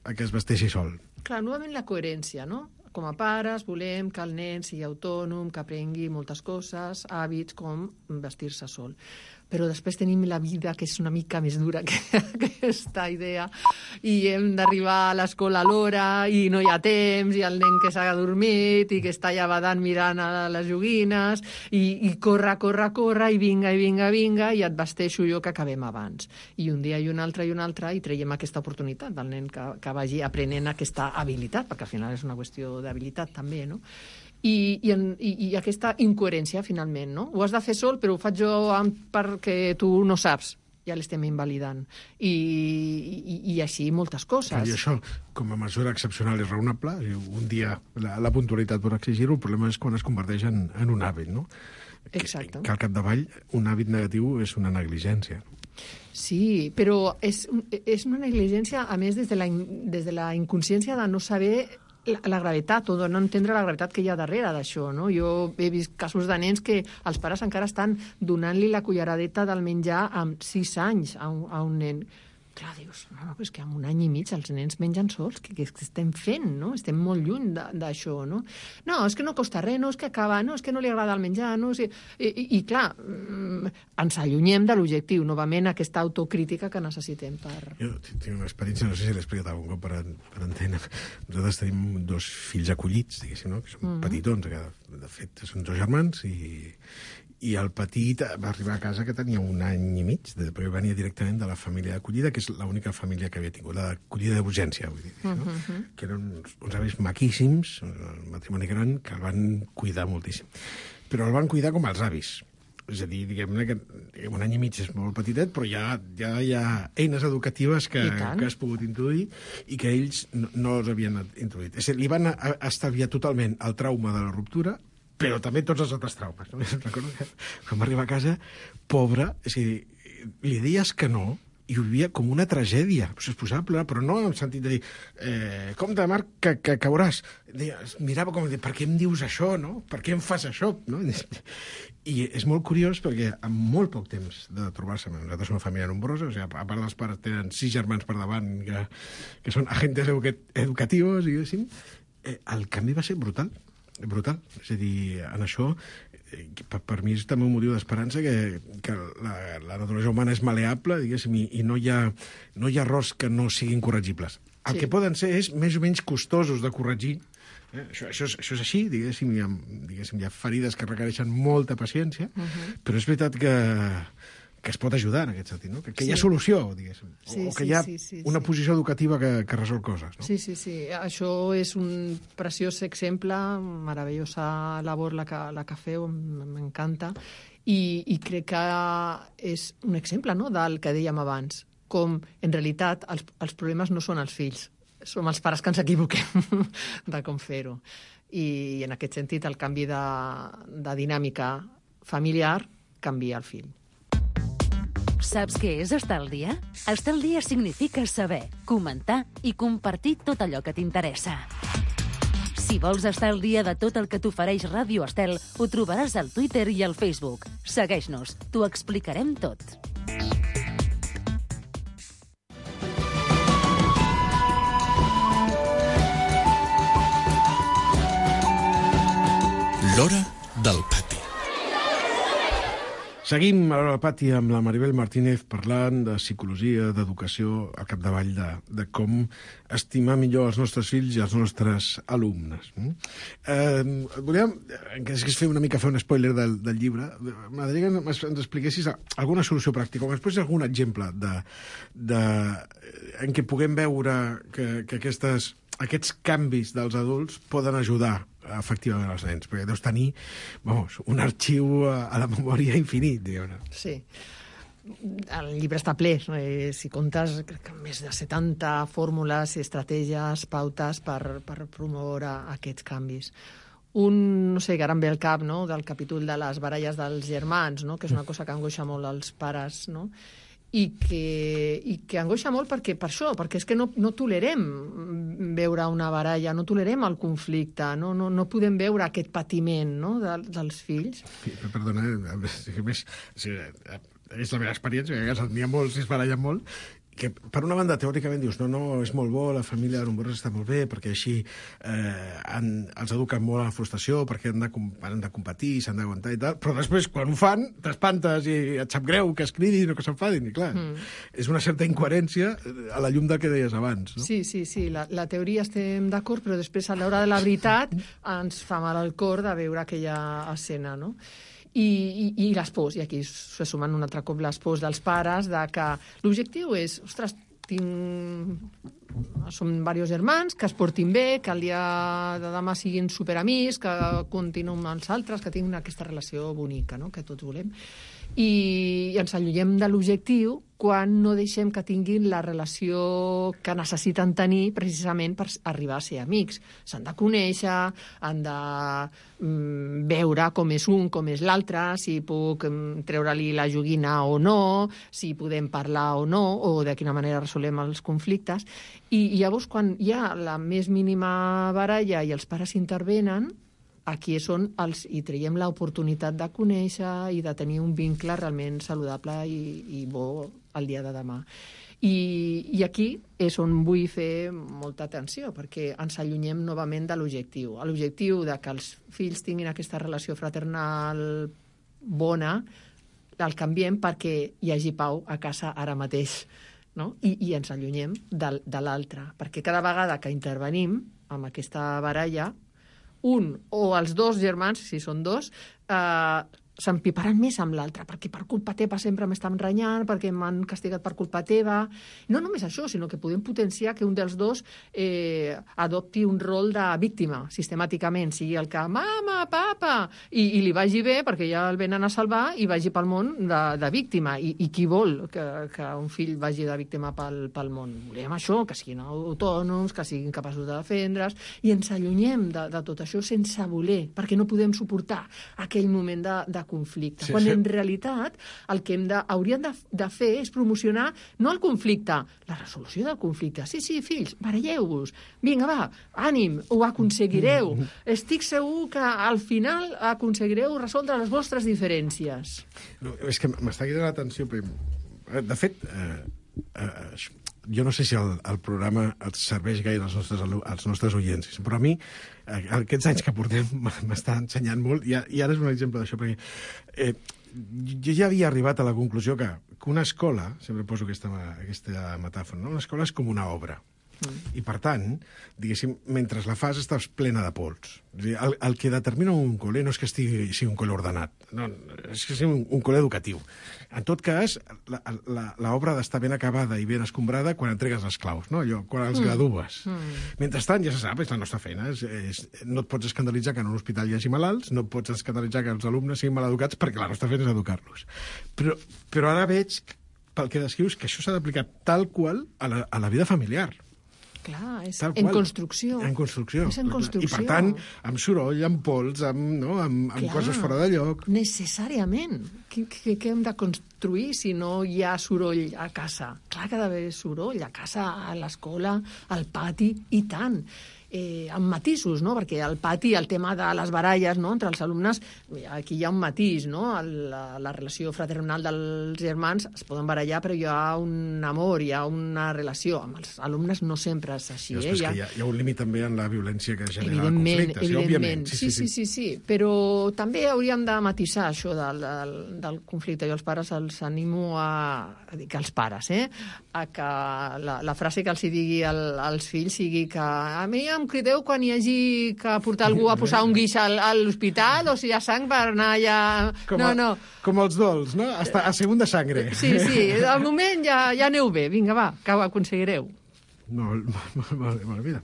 S5: a que es vesteixi sol?
S6: Clar, novament la coherència, no? Com a pares volem que el nen sigui autònom, que aprengui moltes coses, hàbits com vestir-se sol. però després tenim la vida que és una mica més dura que aquesta idea, i hem d'arribar a l'escola a l'hora i no hi ha temps, i el nen que s'ha adormit i que està allà badant mirant a les joguines, i corre, i vinga, i et vesteixo jo que acabem abans. I un dia i un altre, i traiem aquesta oportunitat del nen que vagi aprenent aquesta habilitat, perquè al final és una qüestió d'habilitat també, no? I aquesta incoherència, finalment, no? Ho has de fer sol, però ho faig jo perquè tu no saps. Ja l'estem invalidant. I així moltes coses.
S5: I això, com a mesura excepcional i raonable, un dia la puntualitat pot exigir-ho, el problema és quan es converteix en un hàbit, no?
S6: Exacte.
S5: Que al capdavall un hàbit negatiu és una negligència.
S6: Sí, però és una negligència, a més, des de la inconsciència de no saber la gravetat, o de no entendre la gravetat que hi ha darrere d'això, no? Jo he vist casos de nens que els pares encara estan donant-li la culleradeta del menjar amb 6 anys a un nen. Clar, dius, no, és que amb un any i mig els nens mengen sols, que estem fent, no? Estem molt lluny d'això, no? No, és que no costa res, no, és que acaba, no, és que no li agrada el menjar, no? I clar, ens allunyem de l'objectiu, novament, aquesta autocrítica que necessitem per...
S5: Jo tinc una experiència, no sé si l'he explicat algun cop per antena. Nosaltres tenim 2 fills acollits, diguéssim, no? Que són petitons, que de fet són 2 germans, i el petit va arribar a casa que tenia 1 any i mig, perquè venia directament de la família d'acollida, que és l'única família que havia tingut, l'acollida d'urgència, vull dir, no? Que eren uns avis maquíssims, un matrimoni gran, que el van cuidar moltíssim. Però el van cuidar com els avis. És a dir, diguem-ne que 1 any i mig és molt petitet, però ja hi ha eines educatives que has pogut introduir i que ells no els havien introduït. És a dir, li van estalviar totalment el trauma de la ruptura, però també tots els altres traumes. No? Recordo que quan va arribar a casa, pobre, és a dir, li deies que no, i ho vivia com una tragèdia. Es posava a plorar, però no en el sentit de dir compte, Marc, que cauràs. Mirava com de dir, per què em dius això, no? Per què em fas això? No? I és molt curiós perquè en molt poc temps de trobar-se, nosaltres som una família nombrosa, o sigui, a part dels pares tenen 6 germans per davant que són agentes educatius, diguéssim, el canvi va ser brutal. És a dir, en això per mi és també un motiu d'esperança que la naturalesa humana és maleable, diguéssim, i no hi ha errors que no siguin corregibles. El que poden ser és més o menys costosos de corregir. Això és així, diguéssim, hi ha ferides que requereixen molta paciència, però és veritat que es pot ajudar en aquest sentit, no? Que hi ha solució, diguéssim, o que hi ha una posició educativa que resol coses. No?
S6: Sí. Això és un preciós exemple, meravellosa labor la que feu, m'encanta, i crec que és un exemple, no?, del que dèiem abans, com en realitat els problemes no són els fills, som els pares que ens equivoquem de com fer-ho. I en aquest sentit el canvi de dinàmica familiar canvia el fill.
S9: Saps què és estar al dia? Estar al dia significa saber, comentar i compartir tot allò que t'interessa. Si vols estar al dia de tot el que t'ofereix Ràdio Estel, ho trobaràs al Twitter i al Facebook. Segueix-nos, t'ho explicarem tot.
S4: L'hora del pati.
S5: Seguim al pati amb la Maribel Martínez parlant de psicologia, d'educació, al capdavall de com estimar millor els nostres fills i els nostres alumnes. Volíem fer una spoiler del llibre. M'agradaria que ens expliquessis alguna solució pràctica, o després algun exemple en què puguem veure que aquests canvis dels adults poden ajudar efectivament als nens, perquè deus tenir un arxiu a la memòria infinit, diguem-ne.
S6: Sí. El llibre està ple. Si comptes, crec que més de 70 fórmules, estratègies, pautes per promoure aquests canvis. No sé, que ara em ve al cap, no?, del capítol de les baralles dels germans, no?, que és una cosa que angoixa molt als pares, no?, i que angoixa molt perquè és que no tolerem veure una baralla, no tolerem el conflicte, no podem veure aquest patiment, no?, dels fills.
S5: Perdona, és la meva experiència, que a casa n'hi ha molts i es barallen molt, que per una banda teòricament dius no, és molt bo, la família nombrosa està molt bé perquè així els eduquen molt a la frustració, perquè han de competir, s'han d'aguantar i tal, però després quan ho fan t'espantes i et sap greu que es cridin o que s'enfadin, i clar, és una certa incoherència a la llum del que deies abans, no?
S6: Sí, la teoria estem d'acord, però després a l'hora de la veritat ens fa mal al cor de veure aquella escena, no? I les pors, i aquí se sumen un altre cop les pors dels pares, de que l'objectiu és, ostres, som diversos germans, que es portin bé, que el dia de demà siguin superamics, que continuïn amb els altres, que tinguin aquesta relació bonica, no?, que tots volem. I ens allunyem de l'objectiu quan no deixem que tinguin la relació que necessiten tenir precisament per arribar a ser amics. S'han de conèixer, han de veure com és un, com és l'altre, si puc treure-li la joguina o no, si podem parlar o no, o de quina manera resolem els conflictes. I llavors, quan hi ha la més mínima baralla i els pares intervenen, aquí és on hi traiem l'oportunitat de conèixer i de tenir un vincle realment saludable i bo el dia de demà. I aquí és on vull fer molta atenció, perquè ens allunyem novament de l'objectiu. L'objectiu de que els fills tinguin aquesta relació fraternal bona, el canviem perquè hi hagi pau a casa ara mateix, no? I ens allunyem de l'altre, perquè cada vegada que intervenim amb aquesta baralla, un o els dos germans, si són dos, s'empiparan més amb l'altre, perquè per culpa teva sempre m'estan renyant, perquè m'han castigat per culpa teva. No només això, sinó que podem potenciar que un dels dos adopti un rol de víctima, sistemàticament, sigui el que mama, papa, i li vagi bé, perquè ja el venen a salvar, i vagi pel món de víctima. I qui vol que un fill vagi de víctima pel món? Volem això, que siguin autònoms, que siguin capaços de defendre's, i ens allunyem de tot això sense voler, perquè no podem suportar aquell moment de conflicte. Quan en realitat el que hauríem de fer és promocionar no el conflicte, la resolució del conflicte. Sí, fills, baralleu-vos. Vinga, va, ànim, ho aconseguireu. Estic segur que al final aconseguireu resoldre les vostres diferències.
S5: No, és que m'està cridant l'atenció. De fet, jo no sé si el programa et serveix gaire als nostres oients, però a mi aquests anys que portem m'està ensenyant molt, i ara és un exemple d'això, perquè jo ja havia arribat a la conclusió que una escola, sempre poso aquesta metàfora, no? Una escola és com una obra. I, per tant, diguéssim, mentre la fas estàs plena de pols. El que determina un col·le no és que sigui un col·le ordenat, no, és que sigui un col·le educatiu. En tot cas, l'obra ha d'estar ben acabada i ben escombrada quan entregues les claus, no? Allò, quan els gradues. Mentrestant, ja se sap, és la nostra feina. No et pots escandalitzar que en un hospital hi hagi malalts, no et pots escandalitzar que els alumnes siguin maleducats, perquè la nostra feina és educar-los. Però ara veig, pel que descrius, que això s'ha d'aplicar tal qual a la vida familiar.
S6: Clar, és en construcció.
S5: En construcció.
S6: És en construcció.
S5: I, per tant, amb soroll, amb pols, amb coses fora de lloc.
S6: Necessàriament. Què hem de construir si no hi ha soroll a casa? Clar que ha d'haver soroll a casa, a l'escola, al pati, i tant. Amb matisos, no? Perquè al pati el tema de les baralles, no?, entre els alumnes, aquí hi ha un matís, no? La relació fraternal dels germans es poden barallar, però hi ha un amor, hi ha una relació. Amb els alumnes no sempre és així.
S5: Hi ha un límit també en la violència que genera conflictes.
S6: Evidentment. Sí. Però també hauríem de matisar això del conflicte. Jo als pares els animo que els pares, a que la frase que els digui als fills sigui que a mi em crideu quan hi hagi que portar algú a posar un guix a l'hospital o si hi ha sang per anar allà... No.
S5: Com els dols, no? A segunda sangre.
S6: Sí, al moment ja aneu bé. Vinga, va, que ho aconseguireu.
S5: Molt bé, mira.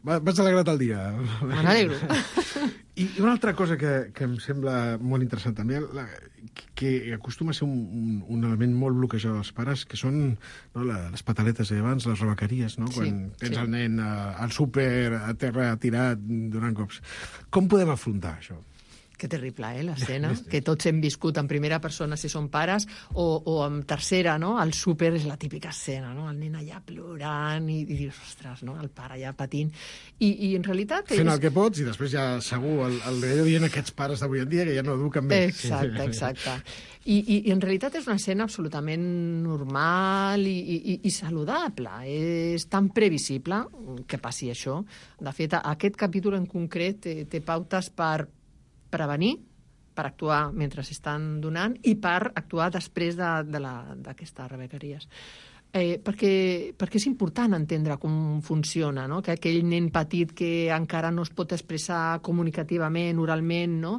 S5: M'has alegrat el dia.
S6: Me n'alegro.
S5: I una altra cosa que em sembla molt interessant també, que acostuma a ser un element molt bloquejador dels pares, que són les pataletes d'abans, les rebequeries, no? Quan tens el nen al súper, a terra, tirat, donant cops. Com podem afrontar això?
S6: Que terrible, l'escena, que tots hem viscut en primera persona si som pares, o en tercera, no? El súper és la típica escena, no? El nen allà plorant i dius, ostres, no? El pare allà patint. I en realitat...
S5: Fent el que pots i després ja segur el dient aquests pares d'avui en dia que ja no eduquen bé.
S6: Exacte. I en realitat és una escena absolutament normal i saludable. És tan previsible que passi això. De fet, aquest capítol en concret té pautes per prevenir, per actuar mentre s'estan donant i per actuar després d'aquestes rebequeries. Perquè és important entendre com funciona, no? Que aquell nen petit que encara no es pot expressar comunicativament, oralment, no?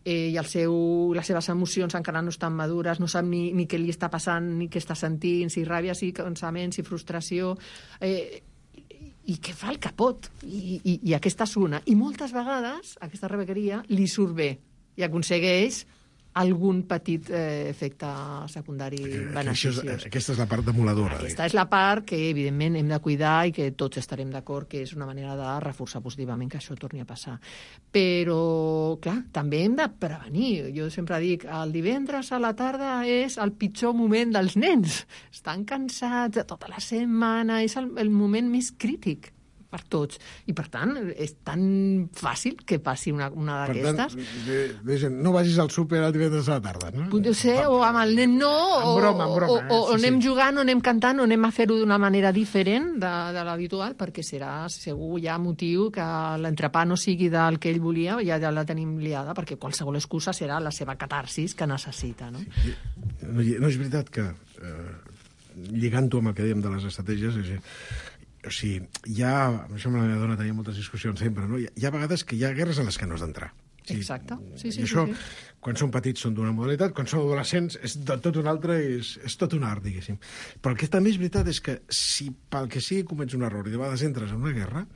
S6: I les seves emocions encara no estan madures, no sap ni què li està passant, ni què està sentint, si ràbia, si cansament, si frustració... i que fa el que pot, i aquesta és una. I moltes vegades aquesta rebequeria li surt bé i aconsegueix algun petit efecte secundari beneficiós.
S5: Aquesta és la part demoladora.
S6: Aquesta és la part que, evidentment, hem de cuidar i que tots estarem d'acord que és una manera de reforçar positivament que això torni a passar. Però, clar, també hem de prevenir. Jo sempre dic, el divendres a la tarda és el pitjor moment dels nens. Estan cansats tota la setmana, és el moment més crític per tots. I, per tant, és tan fàcil que passi una d'aquestes.
S5: Per tant, no vagis al súper el divendres a la tarda, no?
S6: Potser ser, o amb el nen no,
S5: en broma,
S6: o anem jugant, o anem cantant, o anem a fer-ho d'una manera diferent de l'habitual, perquè serà segur ja motiu que l'entrepà no sigui del que ell volia, ja la tenim liada, perquè qualsevol excusa serà la seva catarsis que necessita, no?
S5: Sí. No és veritat que, lligant-ho amb el que dèiem de les estratègies, o sigui, això amb la meva dona tenia moltes discussions sempre, no? Hi ha vegades que hi ha guerres en les que no has d'entrar.
S6: Exacte. Sí.
S5: Això, quan són petits, són d'una modalitat, quan són adolescents, és de tot un altre, és tot un art, diguéssim. Però el que també és veritat és que si pel que sigui comets un error i de vegades entres en una guerra,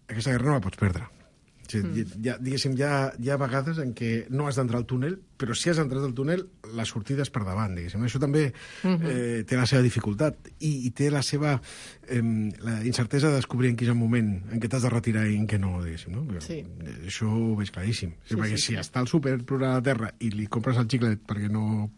S5: aquesta guerra no la pots perdre. Diguéssim, hi ha vegades en què no has d'entrar al túnel, però si has entrat al túnel, la sortida és per davant, diguéssim. Això també té la seva dificultat i té la seva la incertesa de descobrir en quin és el moment en què t'has de retirar i en què no, diguéssim. No?
S6: Sí.
S5: Això ho veig claríssim. Perquè si està al súper plorant a la terra i li compres el xiclet perquè no...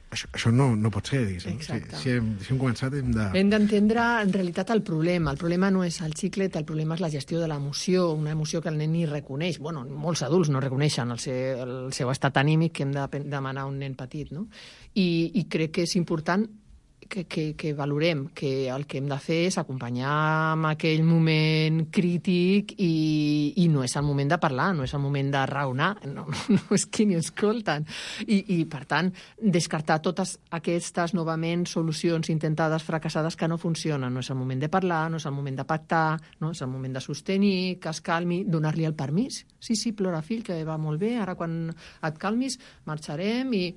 S5: Això no pot ser, diguéssim. Si hem començat hem de...
S6: Hem d'entendre, en realitat, el problema. El problema no és el xiclet, el problema és la gestió de l'emoció, una emoció que el nen ni reconeix. Bueno, molts adults no reconeixen el seu estat anímic que hem de demanar a un nen petit, no? I crec que és important que valorem que el que hem de fer és acompanyar en aquell moment crític i no és el moment de parlar, no és el moment de raonar, no és qui ni escolten. I per tant, descartar totes aquestes, novament, solucions intentades, fracassades, que no funcionen. No és el moment de parlar, no és el moment de pactar, no és el moment de sostenir, que es calmi, donar-li el permís. Sí, plora, fill, que va molt bé, ara quan et calmis marxarem i...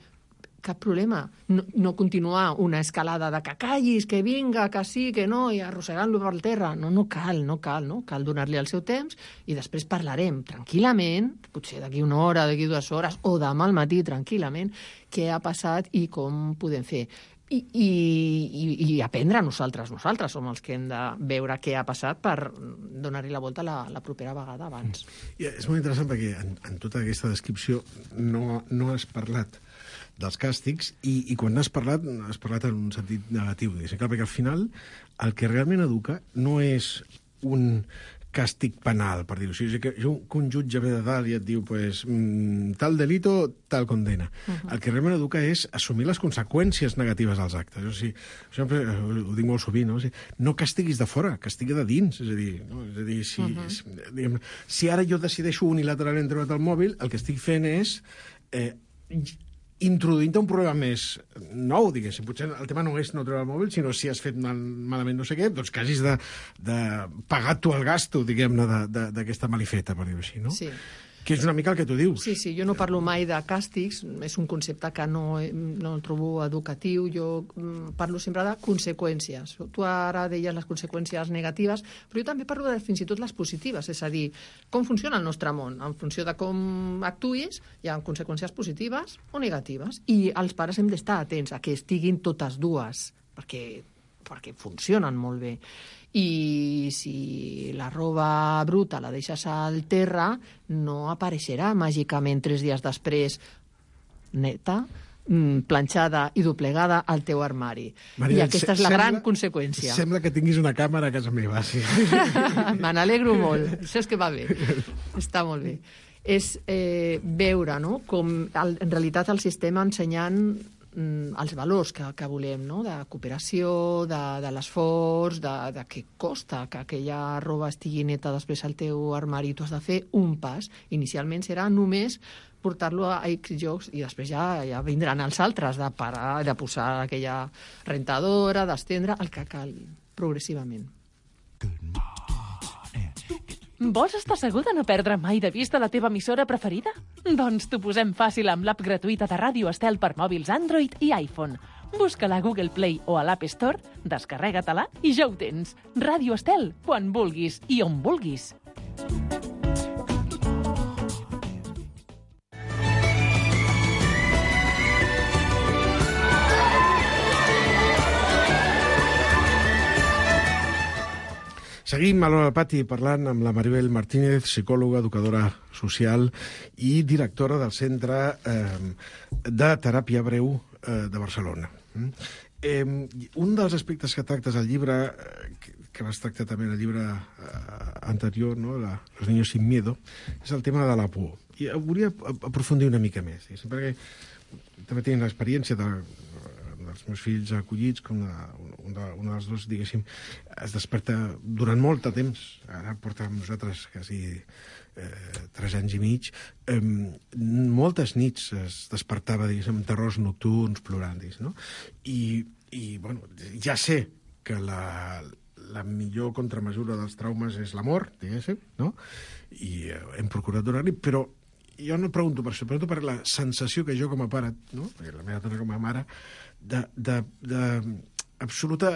S6: Cap problema. No continuar una escalada de que callis, que vinga, que sí, que no, i arrossegant-lo per terra. No cal. Cal donar-li el seu temps i després parlarem tranquil·lament, potser d'aquí una hora, d'aquí 2 hores, o demà al matí tranquil·lament, què ha passat i com podem fer. I aprendre nosaltres som els que hem de veure què ha passat per donar-hi la volta la propera vegada abans.
S5: És molt interessant perquè en tota aquesta descripció no has parlat dels càstigs i quan has parlat en un sentit negatiu. Clar, perquè al final el que realment educa no és un càstig penal, per dir-ho així. Que un jutge ve de dalt i et diu tal delito, tal condena. El que realment educa és assumir les conseqüències negatives dels actes. O sigui, sempre ho dic molt sovint, no castiguis de fora, castiga de dins. És a dir, si ara jo decideixo unilateralment treure't el mòbil, el que estic fent és introduint un problema més nou, diguéssim. Potser el tema no és no treure el mòbil, sinó si has fet malament no sé què, doncs que hagis de pagar tu el gasto, diguem-ne, d'aquesta malifeta, per dir-ho així, no? Sí. Que és una mica el que tu dius.
S6: Sí, jo no parlo mai de càstigs, és un concepte que no el trobo educatiu, jo parlo sempre de conseqüències. Tu ara deies les conseqüències negatives, però jo també parlo de fins i tot les positives, és a dir, com funciona el nostre món. En funció de com actuïs, hi ha conseqüències positives o negatives, i els pares hem d'estar atents a que estiguin totes dues, perquè perquè funcionen molt bé. I si la roba bruta la deixes al terra, no apareixerà màgicament 3 dies després neta, planxada i doblegada al teu armari.
S5: Maria,
S6: I aquesta és la gran conseqüència.
S5: Sembla que tinguis una càmera a casa meva, sí.
S6: Me n'alegro molt. Saps que va bé. Està molt bé. És veure, no?, com en realitat el sistema ensenyant els valors que volem, no?, de cooperació, de l'esforç, de què costa que aquella roba estigui neta després al teu armari. Tu has de fer un pas. Inicialment serà només portar-lo a X llocs i després ja vindran els altres de parar, de posar aquella rentadora, d'estendre, el que calgui, progressivament.
S10: Vols estar segur de no perdre mai de vista la teva emissora preferida? Doncs t'ho posem fàcil amb l'app gratuïta de Ràdio Estel per mòbils Android i iPhone. Busca-la a Google Play o a l'App Store, descarrega-te-la i ja ho tens. Ràdio Estel, quan vulguis i on vulguis.
S5: Seguim a l'Hora del Pati parlant amb la Maribel Martínez, psicòloga, educadora social i directora del Centre de Teràpia Breu de Barcelona. Un dels aspectes que tractes al llibre, que vas tractar també en el llibre anterior, no? Los niños sin miedo, és el tema de la por. I volia aprofundir una mica més, perquè també tinc l'experiència dels meus fills acollits, com un dels dos, diguéssim, es desperta durant molt de temps. Ara porta amb nosaltres quasi 3 anys i mig. Moltes nits es despertava, diguéssim, amb terrors nocturns, plorant, no? I bueno, ja sé que la millor contramesura dels traumes és l'amor, diguéssim, no? I hem procurat donar-li, però jo no pregunto per això, pregunto per la sensació que jo com a pare, no? Perquè la meva dona com a mare, d'absoluta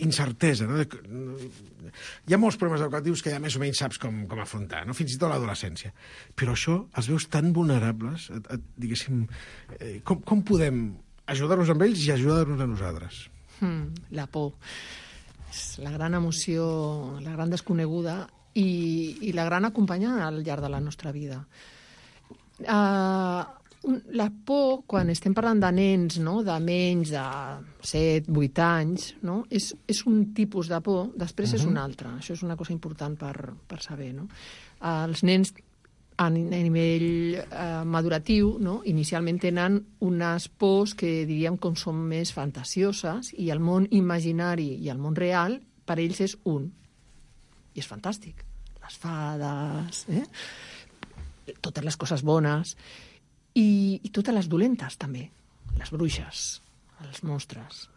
S5: incertesa. No? Hi ha molts problemes educatius que ja més o menys saps com afrontar, no? Fins i tot l'adolescència. Però això els veus tan vulnerables, diguéssim, com podem ajudar-nos amb ells i ajudar-nos a nosaltres?
S6: La por. És la gran emoció, la gran desconeguda i la gran acompanyant al llarg de la nostra vida. La por, quan estem parlant de nens, no?, de menys de 7, 8 anys, no?, és un tipus de por, després és un altre. Això és una cosa important per saber, no? Els nens a nivell maduratiu, no?, inicialment tenen unes pors que diríem com són més fantasioses i el món imaginari i el món real per ells és un. I és fantàstic. Les fades, totes les coses bones i totes les dolentes també, les bruixes, els monstres.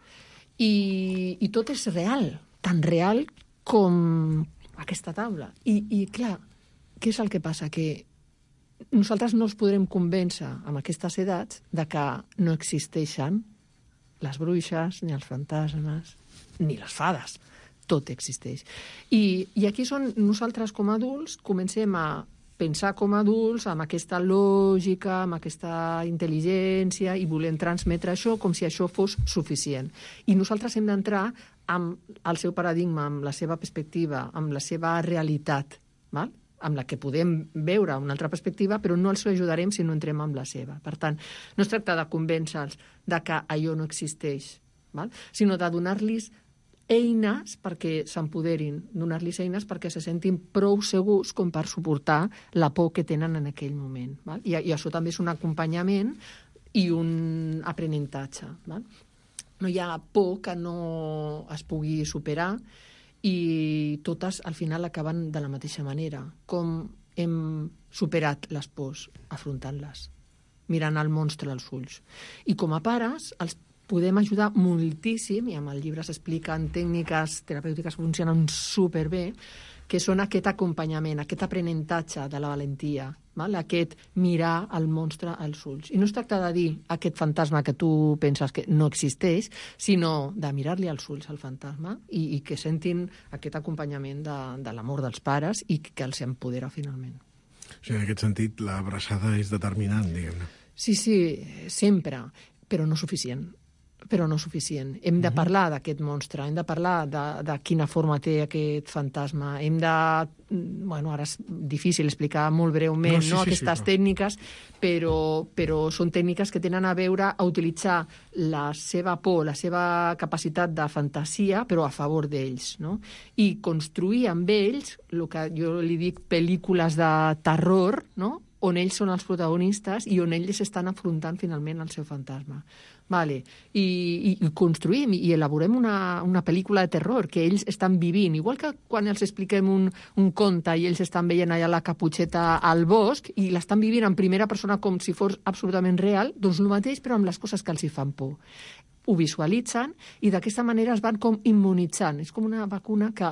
S6: I tot és real, tan real com aquesta taula. I clar, què és el que passa? Que nosaltres no els podrem convèncer amb aquestes edats de que no existeixen les bruixes, ni els fantasmes, ni les fades. Tot existeix. I aquí és on nosaltres com a adults comencem a pensar com a adults amb aquesta lògica, amb aquesta intel·ligència i volem transmetre això com si això fos suficient. I nosaltres hem d'entrar amb el seu paradigma, amb la seva perspectiva, amb la seva realitat, val? Amb la que podem veure una altra perspectiva, però no els ajudarem si no entrem amb la seva. Per tant, no es tracta de convèncer-los de que allò no existeix, val? Sinó de donar-los eines perquè s'empoderin, donar-los eines perquè se sentin prou segurs com per suportar la por que tenen en aquell moment. Val? I això també és un acompanyament i un aprenentatge. Val? No hi ha por que no es pugui superar i totes al final acaben de la mateixa manera. Com hem superat les pors? Afrontant-les, mirant el monstre als ulls. I com a pares, els podem ajudar moltíssim, i amb el llibre s'expliquen tècniques terapèutiques que funcionen superbé, que són aquest acompanyament, aquest aprenentatge de la valentia, val? Aquest mirar el monstre als ulls. I no es tracta de dir aquest fantasma que tu penses que no existeix, sinó de mirar-li als ulls al fantasma i que sentin aquest acompanyament de l'amor dels pares i que els empodera finalment.
S5: O sigui, en aquest sentit, l'abraçada és determinant, diguem-ne.
S6: Sí, sempre, però no suficient. però no suficient. Hem de parlar d'aquest monstre, hem de parlar de quina forma té aquest fantasma, hem de... Bueno, ara és difícil explicar molt breument aquestes tècniques, però són tècniques que tenen a veure a utilitzar la seva por, la seva capacitat de fantasia, però a favor d'ells, no? I construir amb ells, el que jo li dic pel·lícules de terror, no?, on ells són els protagonistes i on ells estan afrontant finalment el seu fantasma. Vale. I construïm i elaborem una pel·lícula de terror que ells estan vivint. Igual que quan els expliquem un conte i ells estan veient allà la caputxeta al bosc i l'estan vivint en primera persona com si fos absolutament real, doncs el mateix però amb les coses que els hi fan por. Ho visualitzen i d'aquesta manera es van com immunitzant. És com una vacuna que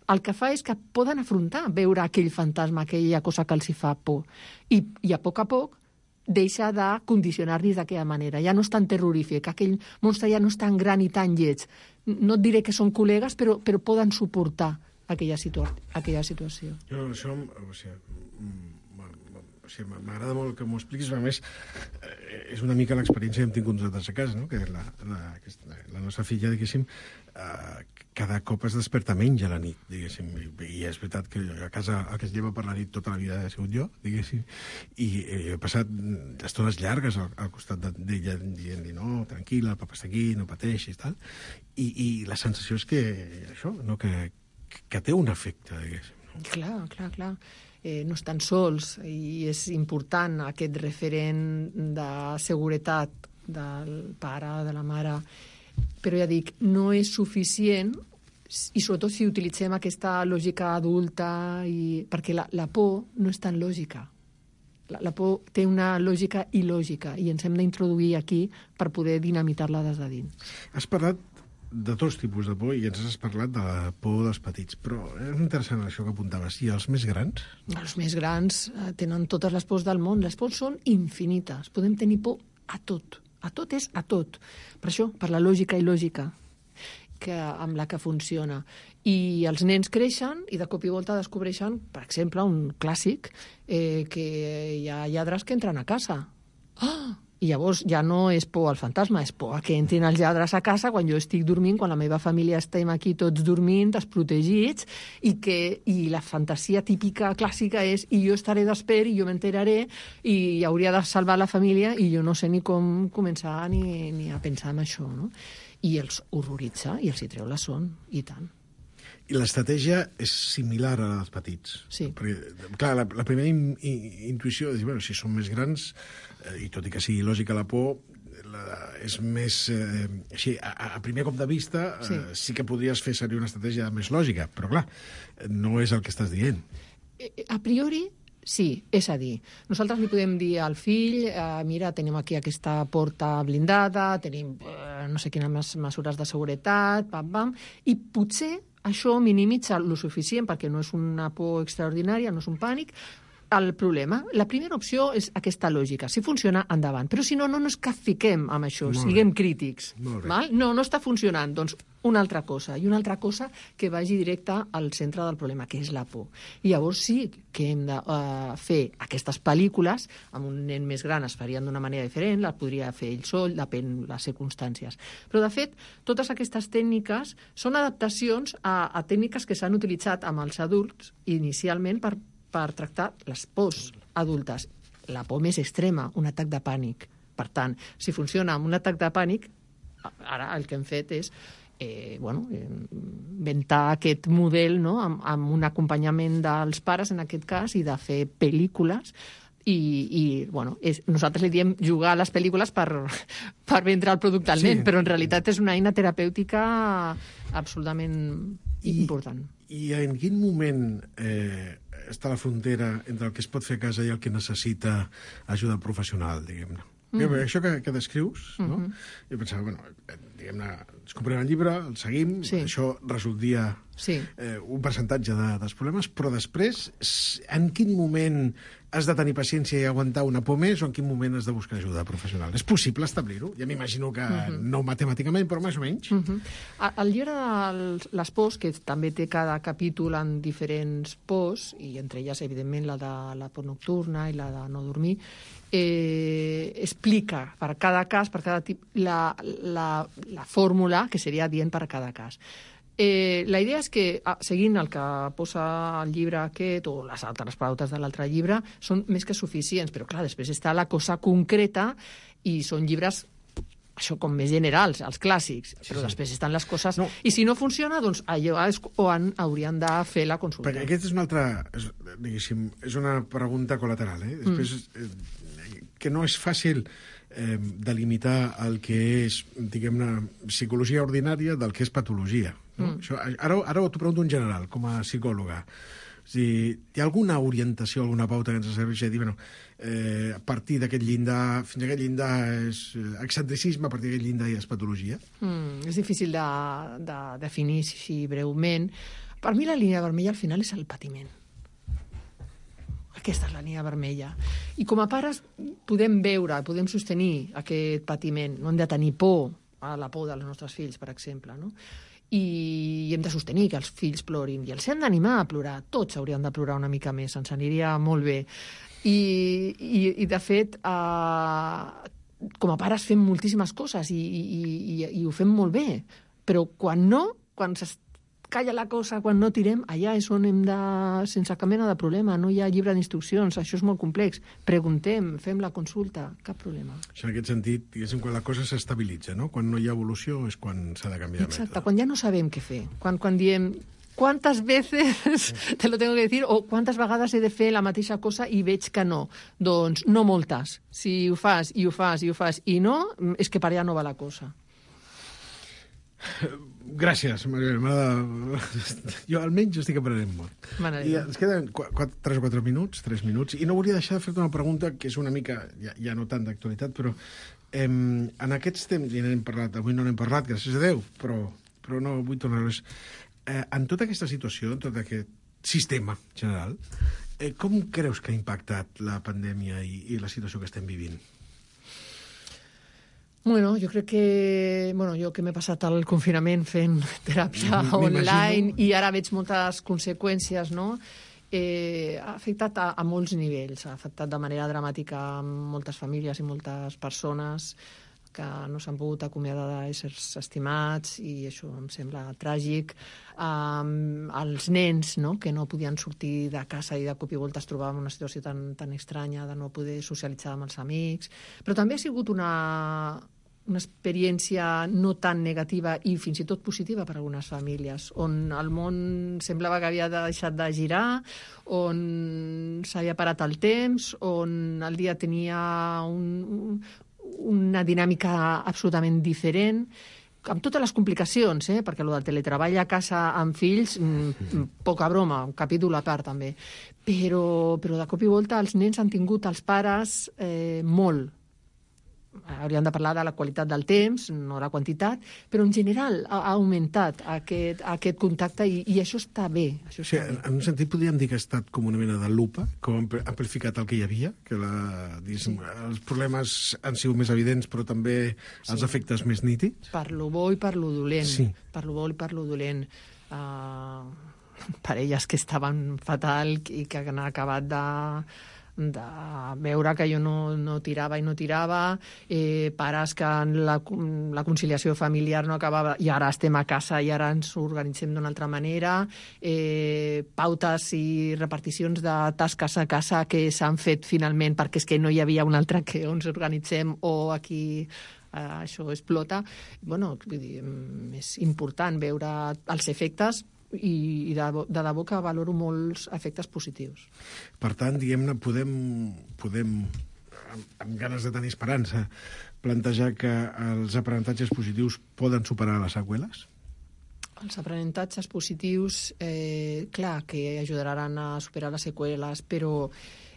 S6: el que fa és que poden afrontar veure aquell fantasma, aquella cosa que els hi fa por. I a poc deixa de condicionar-los d'aquella manera. Ja no és tan terrorífic, aquell monstre ja no és tan gran i tan lleig. No et diré que són col·legues, però poden suportar aquella situació.
S5: Jo, això... m'agrada molt que m'ho expliquis, a més, és una mica l'experiència que hem tingut nosaltres a casa, no? Que la nostra filla, diguéssim, cada cop es desperta menys a la nit, diguéssim, i és veritat que a casa el que es lleva per la nit tota la vida ha sigut jo, diguéssim, i he passat estones llargues al costat d'ella dient-li, no, tranquil·la, el papa està aquí, no pateixis, tal, i la sensació és que això, no? Que té un efecte, diguéssim.
S6: Clar. No estan sols i és important aquest referent de seguretat del pare, de la mare, però ja dic, no és suficient i sobretot si utilitzem aquesta lògica adulta perquè la por no és tan lògica. La por té una lògica il·lògica i ens hem d'introduir aquí per poder dinamitar-la des de dins.
S5: Has parlat de tots tipus de por i ens has parlat de la por dels petits, però és interessant això que apuntaves. I els més grans?
S6: Els més grans tenen totes les pors del món. Les pors són infinites. Podem tenir por a tot. A tot és a tot. Per això, per la lògica il·lògica amb la que funciona. I els nens creixen i de cop i volta descobreixen, per exemple, un clàssic, que hi ha lladres que entren a casa. I llavors ja no és por al fantasma, és por a que entrin els lladres a casa quan jo estic dormint, quan la meva família estem aquí tots dormint, desprotegits, i la fantasia típica, clàssica és i jo estaré despert i jo m'enteraré i hauria de salvar la família i jo no sé ni com començar ni a pensar en això, no? I els horroritza i els hi treu la son, i tant.
S5: I l'estratègia és similar a la dels petits.
S6: Sí.
S5: Perquè, clar, la primera intuïció és dir, bueno, si són més grans, i tot i que sigui lògica la por, és més... així, a primer cop de vista, sí que podries fer servir una estratègia més lògica, però clar, no és el que estàs dient.
S6: A priori, sí, és a dir, nosaltres li podem dir al fill, mira, tenim aquí aquesta porta blindada, tenim no sé quines mesures de seguretat, i potser això minimitza lo suficient, perquè no és una por extraordinària, no és un pànic, el problema. La primera opció és aquesta lògica. Si funciona, endavant. Però si no, no és que fiquem amb això, siguem crítics. Val? No està funcionant. Doncs una altra cosa. I una altra cosa que vagi directe al centre del problema, que és la por. I llavors sí que hem de fer aquestes pel·lícules, amb un nen més gran es farien d'una manera diferent, la podria fer ell sol, depèn de les circumstàncies. Però, de fet, totes aquestes tècniques són adaptacions a tècniques que s'han utilitzat amb els adults inicialment per tractar les pors adultes. La por més extrema, un atac de pànic. Per tant, si funciona amb un atac de pànic, ara el que hem fet és inventar aquest model, no? amb un acompanyament dels pares, en aquest cas, i de fer pel·lícules. Nosaltres li diem jugar a les pel·lícules per vendre el producte al nen, però en realitat és una eina terapèutica absolutament important.
S5: I en quin moment està la frontera entre el que es pot fer a casa i el que necessita ajuda professional, diguem-ne? Això que descrius, no? Jo pensava, diguem-ne, ens comprem el llibre, el seguim, això resoldria un percentatge dels problemes, però després, en quin moment has de tenir paciència i aguantar una por més o en quin moment has de buscar ajuda professional? És possible establir-ho? Ja m'imagino que no matemàticament, però més o menys.
S6: El llibre de les pors, que també té cada capítol en diferents pors, i entre elles, evidentment, la de la por nocturna i la de no dormir, explica per cada cas, per cada tipus, la fórmula que seria adient per a cada cas. La idea és que, seguint el que posa el llibre aquest o les altres pautes de l'altre llibre, són més que suficients, però clar, després està la cosa concreta i són llibres, això com més generals, els clàssics, però després estan les coses... I si no funciona, doncs allò és on haurien de fer la consulta.
S5: Perquè aquesta és una altra, diguéssim, és una pregunta col·lateral, Després, que no és fàcil delimitar el que és, diguem-ne, psicologia ordinària del que és patologia. No? Això, ara t'ho pregunto en general, com a psicòloga. És dir, hi ha alguna orientació, alguna pauta que ens serveix a dir, a partir d'aquest llindar, fins a aquest llindar és excentricisme, a partir d'aquest llindar ja és patologia?
S6: És difícil de definir així breument. Per mi la línia vermella al final és el patiment. Aquesta és la línia vermella. I com a pares podem veure, podem sostenir aquest patiment. No hem de tenir por a la por dels nostres fills, per exemple, no? I hem de sostenir que els fills plorin i els hem d'animar a plorar. Tots haurien de plorar una mica més, ens aniria molt bé. I de fet, com a pares fem moltíssimes coses i ho fem molt bé, però quan calla la cosa, quan no tirem, allà és on hem de, sense cap mena de problema, no hi ha llibre d'instruccions, això és molt complex. Preguntem, fem la consulta, cap problema.
S5: En aquest sentit, diguéssim, quan la cosa s'estabilitza, no? Quan no hi ha evolució és quan s'ha de canviar de mètode.
S6: Exacte, quan ja no sabem què fer, quan diem ¿cuántas veces te lo tengo que decir? O quantes vegades he de fer la mateixa cosa i veig que no? Doncs no moltes. Si ho fas i ho fas i ho fas i no, és que per allà no va la cosa.
S5: Gràcies, Maria. Jo almenys estic aprenent molt. I ens queden 3 o 4 minuts, 3 minuts, i no volia deixar de fer-te una pregunta que és una mica, ja no tant d'actualitat, però en aquests temps, i n'hem parlat, avui no n'hem parlat, gràcies a Déu, però no vull tornar-los. En tota aquesta situació, en tot aquest sistema general, com creus que ha impactat la pandèmia i la situació que estem vivint?
S6: Bueno, jo crec que... jo que m'he passat el confinament fent teràpia online i ara veig moltes conseqüències, no? Ha afectat a molts nivells. Ha afectat de manera dramàtica moltes famílies i moltes persones que no s'han pogut acomiadar d'éssers estimats i això em sembla tràgic. Els nens, no?, que no podien sortir de casa i de cop i volta es trobaven en una situació tan estranya de no poder socialitzar amb els amics. Però també ha sigut una experiència no tan negativa i fins i tot positiva per a algunes famílies, on el món semblava que havia deixat de girar, on s'havia parat el temps, on el dia tenia una dinàmica absolutament diferent, amb totes les complicacions, perquè el del teletreball a casa amb fills, poca broma, un capítol a part també. Però de cop i volta els nens han tingut els pares molt. Hauríem de parlar de la qualitat del temps, no la quantitat, però en general ha augmentat aquest contacte i això està bé.
S5: En un sentit podríem dir que ha estat com una mena de lupa, com ha amplificat el que hi havia, que els problemes han sigut més evidents, però també els efectes més nítids.
S6: Per lo bo i per lo dolent.
S5: Sí.
S6: Per lo bo i per lo dolent. Parelles que estaven fatal i que han acabat de veure que jo no tirava i no tirava, pares que la conciliació familiar no acabava i ara estem a casa i ara ens organitzem d'una altra manera, pautes i reparticions de tasques a casa que s'han fet finalment perquè és que no hi havia un altre que ens organitzem o aquí això explota. És important veure els efectes i de debò que valoro molts efectes positius.
S5: Per tant, diguem-ne, podem amb ganes de tenir esperança, plantejar que els aprenentatges positius poden superar les seqüeles?
S6: Els aprenentatges positius, clar, que ajudaran a superar les seqüeles, però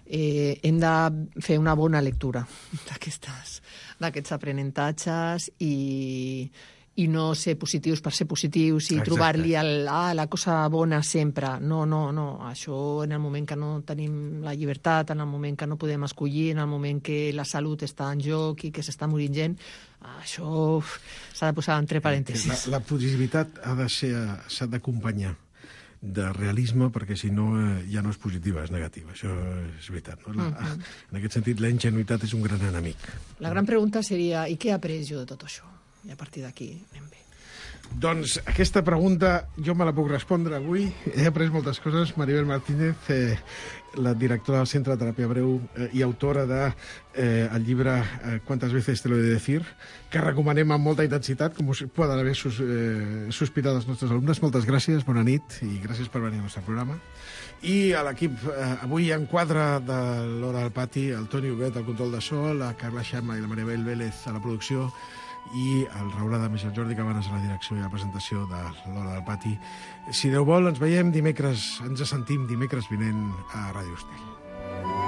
S6: hem de fer una bona lectura d'aquests aprenentatges i i no ser positius per ser positius i
S5: Exacte.
S6: trobar-li la cosa bona sempre. No. Això en el moment que no tenim la llibertat, en el moment que no podem escollir, en el moment que la salut està en joc i que s'està morint gent, això s'ha de posar entre parèntesis.
S5: La positivitat s'ha d'acompanyar de realisme, perquè si no ja no és positiva, és negativa. Això és veritat. No? En aquest sentit, la ingenuïtat és un gran enemic.
S6: La gran pregunta seria, i què he après jo de tot això? I a partir d'aquí anem bé.
S5: Doncs aquesta pregunta jo me la puc respondre avui. He après moltes coses. Maribel Martínez, la directora del Centre de Teràpia Breu i autora del llibre Quantas veces te lo he de decir, que recomanem amb molta intensitat, com us poden haver sospitat els nostres alumnes. Moltes gràcies, bona nit, i gràcies per venir al nostre programa. I a l'equip, avui en quadre de l'Hora del Pati, el Toni Huguet al control de so, la Carla Xama i la Maribel Vélez a la producció, i el Raül Adames i el Jordi Cabanes a la direcció i a la presentació de l'Hora del Pati. Si Déu vol, ens veiem dimecres, ens sentim dimecres vinent a Ràdio Estel.